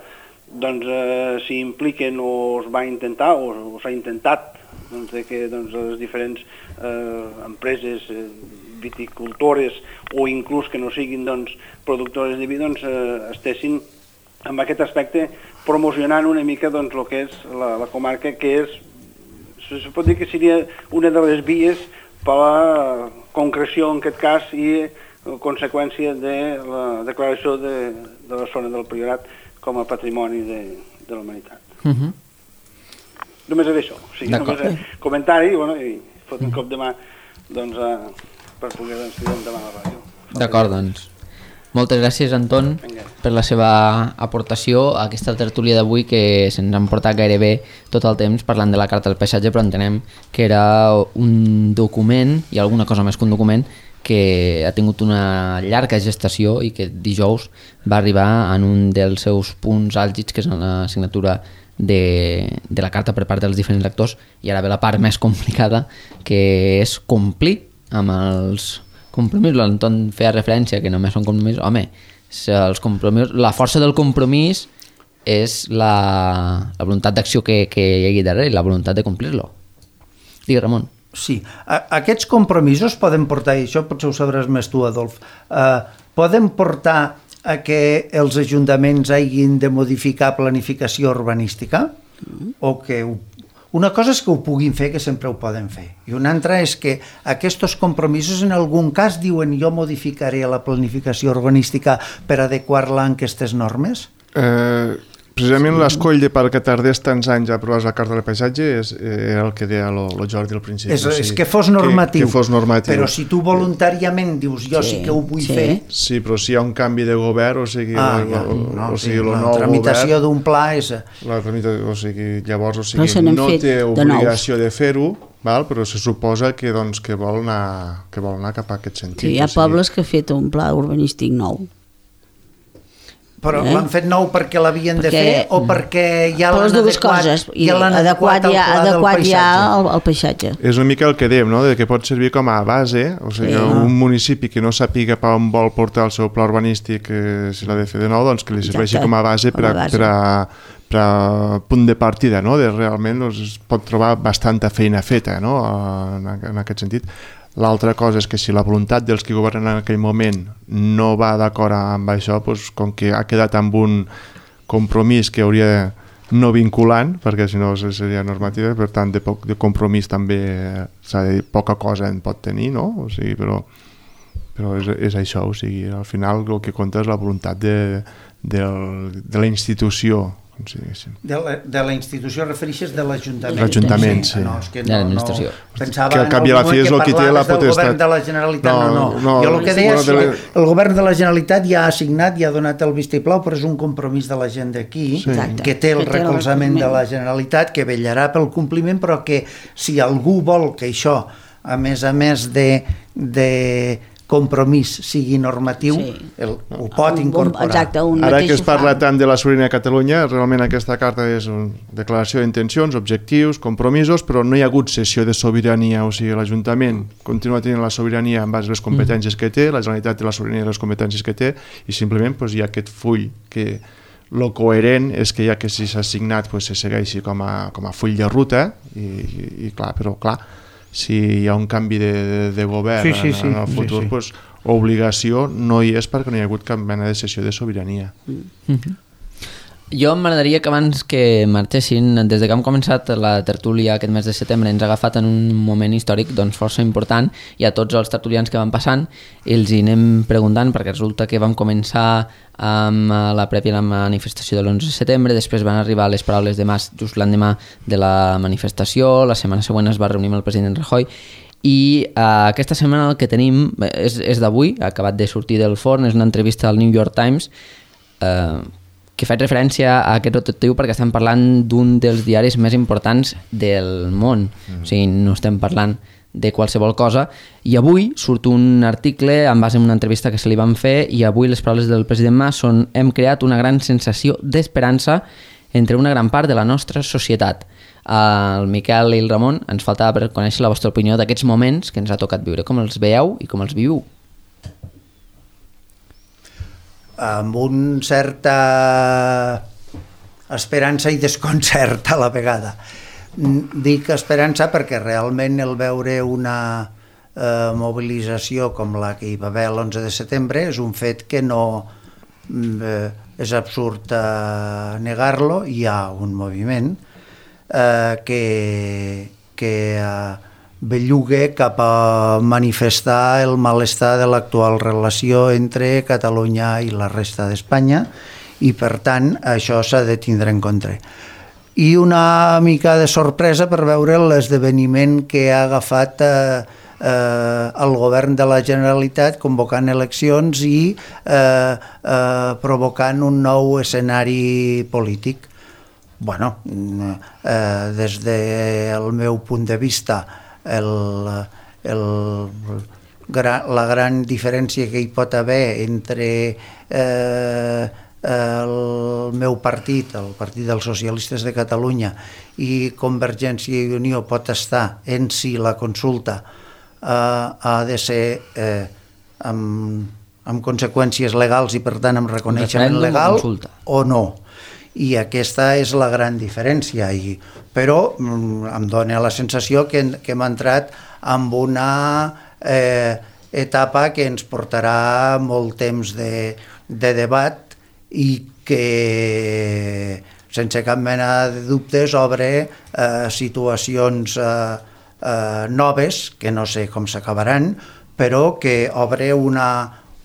doncs, eh, s'hi impliquen o es va intentar o, o s'ha intentat doncs, de que doncs, les diferents eh, empreses eh, viticultores o inclús que no siguin doncs, productores de vi doncs, eh, estessin amb aquest aspecte promocionant una mica doncs, el que és la, la comarca, que és, se pot dir que seria una de les vies per la concreció en aquest cas i conseqüència de la declaració de, de la zona del Priorat com a patrimoni de, de la humanitat. Uh -huh. Només era això, o sigui, només era comentari bueno, i fot un cop de mà doncs, a, per poder doncs, tirar endavant la ràdio. D'acord, doncs. Moltes gràcies, Anton, per la seva aportació a aquesta tertúlia d'avui, que se'ns han portat gairebé tot el temps parlant de la Carta del Paisatge, però entenem que era un document, i alguna cosa més que un document, que ha tingut una llarga gestació i que dijous va arribar en un dels seus punts àlgids, que és la signatura de, de la carta per part dels diferents actors, i ara ve la part més complicada, que és complir amb els compromisos. L'Anton feia referència que només són compromisos. Home, els compromisos, la força del compromís és la, la voluntat d'acció que, que hi hagi darrere i la voluntat de complir-lo. Digui, Ramon. Sí, a, aquests compromisos poden portar, i això potser ho sabràs més tu, Adolf, eh, poden portar a que els ajuntaments hagin de modificar planificació urbanística? Mm. O que ho, una cosa és que ho puguin fer, que sempre ho poden fer, i una altra és que aquests compromisos en algun cas diuen jo modificaré la planificació urbanística per adequar-la a aquestes normes? Eh... Precisament sí. L'escoll de perquè tardés tants anys a aprovar la Carta del Paisatge és, era el que deia el Jordi al principi. És, és que fos normatiu, que, que fos normatiu. Però si tu voluntàriament dius jo sí, sí que ho vull sí. fer... Sí, però si hi ha un canvi de govern, o sigui, ah, el, ja, el, no, o sigui, sí, el la nou tramitació govern... d'un pla és... La tramitació, o sigui, llavors, o sigui, no té obligació de, de fer-ho, val? Però se suposa que, doncs, que, vol anar, que vol anar cap a aquest sentit. Sí, hi ha pobles que han fet un pla urbanístic nou. Però eh? l'han fet nou perquè l'havien de Perquè- fer o perquè ja Per les l'han dues adequat, coses. I ja l'han adequat adequat al ja, pla del adequat ja paisatge? al, al paisatge. És una mica el que dèiem, no? De que pot servir com a base, o sigui, Sí. un municipi que no sàpiga per on vol portar el seu pla urbanístic, eh, si l'ha de fer de nou, doncs que li serveixi Exacte, com a base per a, com a base. per a, per a punt de partida, no? De realment doncs, es pot trobar bastanta feina feta, no? En, en aquest sentit. L'altra cosa és que si la voluntat dels que governen en aquell moment no va d'acord amb això, doncs, com que ha quedat amb un compromís que hauria de no vinculant, perquè si no seria normativa, per tant de, poc, de compromís també s'ha de dir, poca cosa en pot tenir, no? O sigui, però, però és, és això, o sigui, al final el que compta és la voluntat de, de, de la institució. Sí, sí. De la, de la institució refereixes de l'Ajuntament. L'Ajuntament, sí. No, és que De no, l'administració. No, pensava Que al cap i a la fi és el que té la parlaves del potestat. govern de la Generalitat. No, No, no. no, jo el que sí, deia bueno, és de la- que el govern de la Generalitat ja ha assignat, ja ha donat el vistiplau, però és un compromís de la gent d'aquí, Sí. Exacte. que té el Que té el recolzament de recolzament. la Generalitat, que vetllarà pel compliment, però que si algú vol que això, a més a més de, de compromís sigui normatiu, Sí. el, ho pot Un- un- incorporar. Exacte, un Ara mateix que es ho parla fa. tant de la sobirania de Catalunya, realment aquesta carta és una declaració d'intencions, objectius, compromisos, però no hi ha hagut cessió de sobirania, o sigui, l'Ajuntament continua tenint la sobirania en base a les competències que té, la Generalitat té la sobirania de les competències que té, i simplement doncs, hi ha aquest full que lo coherent és que ja que si s'ha signat doncs, se segueixi com a, com a full de ruta, i, i, i clar, però clar, si hi ha un canvi de, de, de govern Sí, sí, sí, en, en el futur, sí, sí. Doncs, obligació no hi és perquè no hi ha hagut cap mena de cessió de sobirania. Jo m'agradaria que abans que marxessin, des de que hem començat la tertúlia aquest mes de setembre, ens ha agafat en un moment històric doncs, força important, i a tots els tertulians que van passant els hi anem preguntant, perquè resulta que vam començar amb la prèvia a la manifestació de l'onze de setembre, després van arribar les paraules de Mas just l'endemà de la manifestació, la setmana següent es va reunir amb el president Rajoy, i uh, aquesta setmana el que tenim és, és d'avui, ha acabat de sortir del forn, és una entrevista al New York Times, eh, que faig referència a aquest rotatiu perquè estem parlant d'un dels diaris més importants del món. Mm. O sigui, no estem parlant de qualsevol cosa. I avui surt un article en base a una entrevista que se li van fer, i avui les paraules del president Mas són: hem creat una gran sensació d'esperança entre una gran part de la nostra societat. El Miquel i el Ramon ens faltava per conèixer la vostra opinió d'aquests moments que ens ha tocat viure. Com els veieu i com els viu? Amb un certa esperança i desconcert a la vegada. Dic esperança perquè realment el veure una eh, mobilització com la que hi va haver l'onze de setembre és un fet que no eh, és absurd eh, negar-lo. Hi ha un moviment eh, que, que eh, belluga cap a manifestar el malestar de l'actual relació entre Catalunya i la resta d'Espanya, i per tant això s'ha de tindre en compte. I una mica de sorpresa per veure l'esdeveniment que ha agafat eh, eh, el govern de la Generalitat convocant eleccions i eh, eh, provocant un nou escenari polític. Bueno, eh, des del meu punt de vista, El, el, la gran diferència que hi pot haver entre eh, el meu partit, el Partit dels Socialistes de Catalunya, i Convergència i Unió pot estar en si la consulta eh, ha de ser eh, amb, amb conseqüències legals i per tant amb reconeixement legal o no. I aquesta és la gran diferència, i, però mm, em dona la sensació que, que hem entrat en una eh, etapa que ens portarà molt temps de, de debat i que sense cap mena de dubtes obre eh, situacions eh, eh, noves, que no sé com s'acabaran, però que obre una,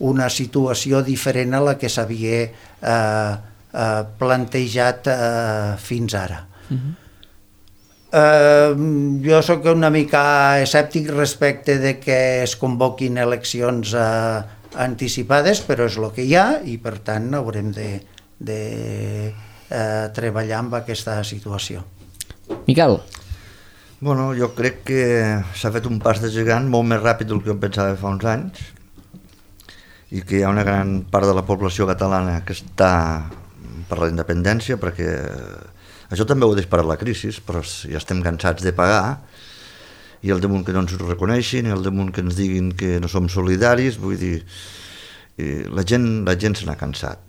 una situació diferent a la que s'havia eh, Uh, plantejat uh, fins ara. Uh-huh. uh, jo sóc una mica escèptic respecte de que es convoquin eleccions uh, anticipades, però és el que hi ha i per tant haurem de, de uh, treballar amb aquesta situació. Miquel? Bueno, jo crec que s'ha fet un pas de gegant molt més ràpid del que jo pensava fa uns anys i que hi ha una gran part de la població catalana que està per la independència, perquè això també ho disparat la crisi, però ja estem cansats de pagar i el damunt que no ens ho reconeixin i el damunt que ens diguin que no som solidaris, vull dir, la gent, la gent se n'ha cansat.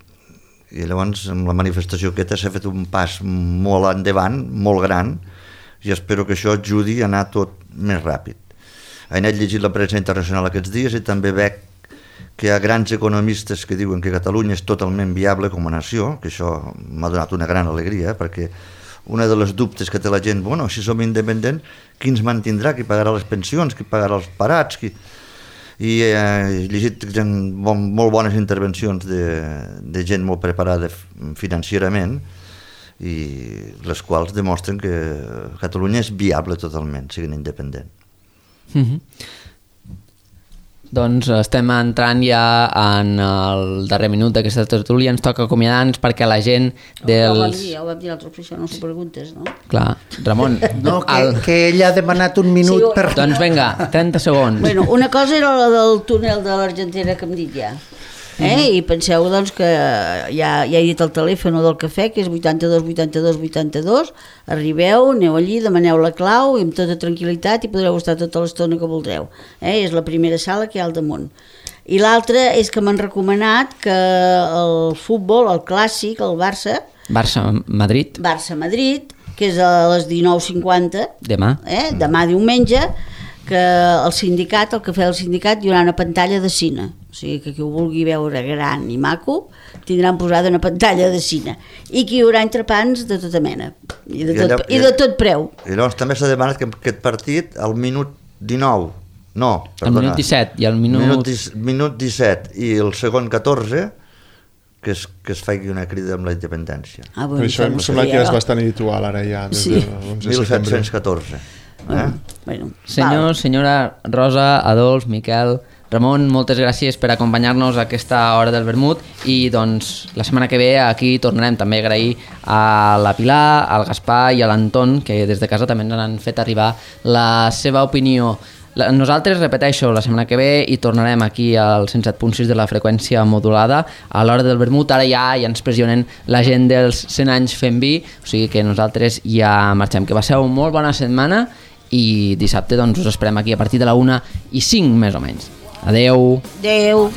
I llavors amb la manifestació aquesta s'ha fet un pas molt endavant, molt gran, i espero que això ajudi a anar tot més ràpid. He anat llegint la premsa internacional aquests dies i també veig que hi ha grans economistes que diuen que Catalunya és totalment viable com a nació, que això m'ha donat una gran alegria, perquè una de les dubtes que té la gent, bueno, si som independents, qui ens mantindrà, qui pagarà les pensions, qui pagarà els parats, qui... I he llegit gent, bon, molt bones intervencions de, de gent molt preparada financierament i les quals demostren que Catalunya és viable totalment, siguin independent. Mm-hmm. Doncs estem entrant ja en el darrer minut d'aquesta tertúlia, ens toca acomiadar-nos perquè la gent dels... Ho vam dir, ho vam dir l'altre, per això no s'ho preguntes, no? Clar, Ramon... No, que, el... que ella ha demanat un minut Sí, per... Doncs vinga, trenta segons. Bueno, una cosa era la del túnel de l'Argentera que hem dit ja. Eh? I penseu doncs que ja, ja he dit el telèfon del cafè, que és vuitanta-dos vuitanta-dos vuitanta-dos, arribeu, aneu allí, demaneu la clau i amb tota tranquil·litat i podreu estar tota l'estona que voldreu. Eh? És la primera sala que hi ha al damunt. I l'altra és que m'han recomanat que el futbol, el clàssic, el Barça... Barça-Madrid. Barça-Madrid, que és a les dinou cinquanta, Demà. Eh? Demà diumenge, que el sindicat, el cafè del sindicat, hi haurà una pantalla de cine. O sigui que qui ho vulgui veure gran i maco tindran posada una pantalla de cine. I que hi haurà entrepans de tota mena. I de tot, I allò, i de tot preu. I llavors també s'ha demanat que aquest partit al minut dinou, no, perdona. El minut disset i el minut... Minut, dis, minut disset i el segon catorze que es, que es faci una crida amb la independència. Ah, bueno, això em sembla que és bastant habitual ara ja, des sí. de l'onze de mil setembre. set-cents catorze. Eh? Bueno, Senyor, val. senyora Rosa, Adolf, Miquel, Ramon, moltes gràcies per acompanyar-nos a aquesta hora del vermut i doncs la setmana que ve aquí tornarem també a agrair a la Pilar, al Gaspar i a l'Anton que des de casa també ens han fet arribar la seva opinió. Nosaltres, repeteixo, la setmana que ve i tornarem aquí al cent set punt sis de la freqüència modulada a l'hora del vermut. Ara ja, ja ens pressionen la gent dels cent anys fent vi, o sigui que nosaltres ja marxem. Que passeu molt bona setmana i dissabte doncs, us esperem aquí a partir de la una i cinc més o menys. Adeu. Adeu.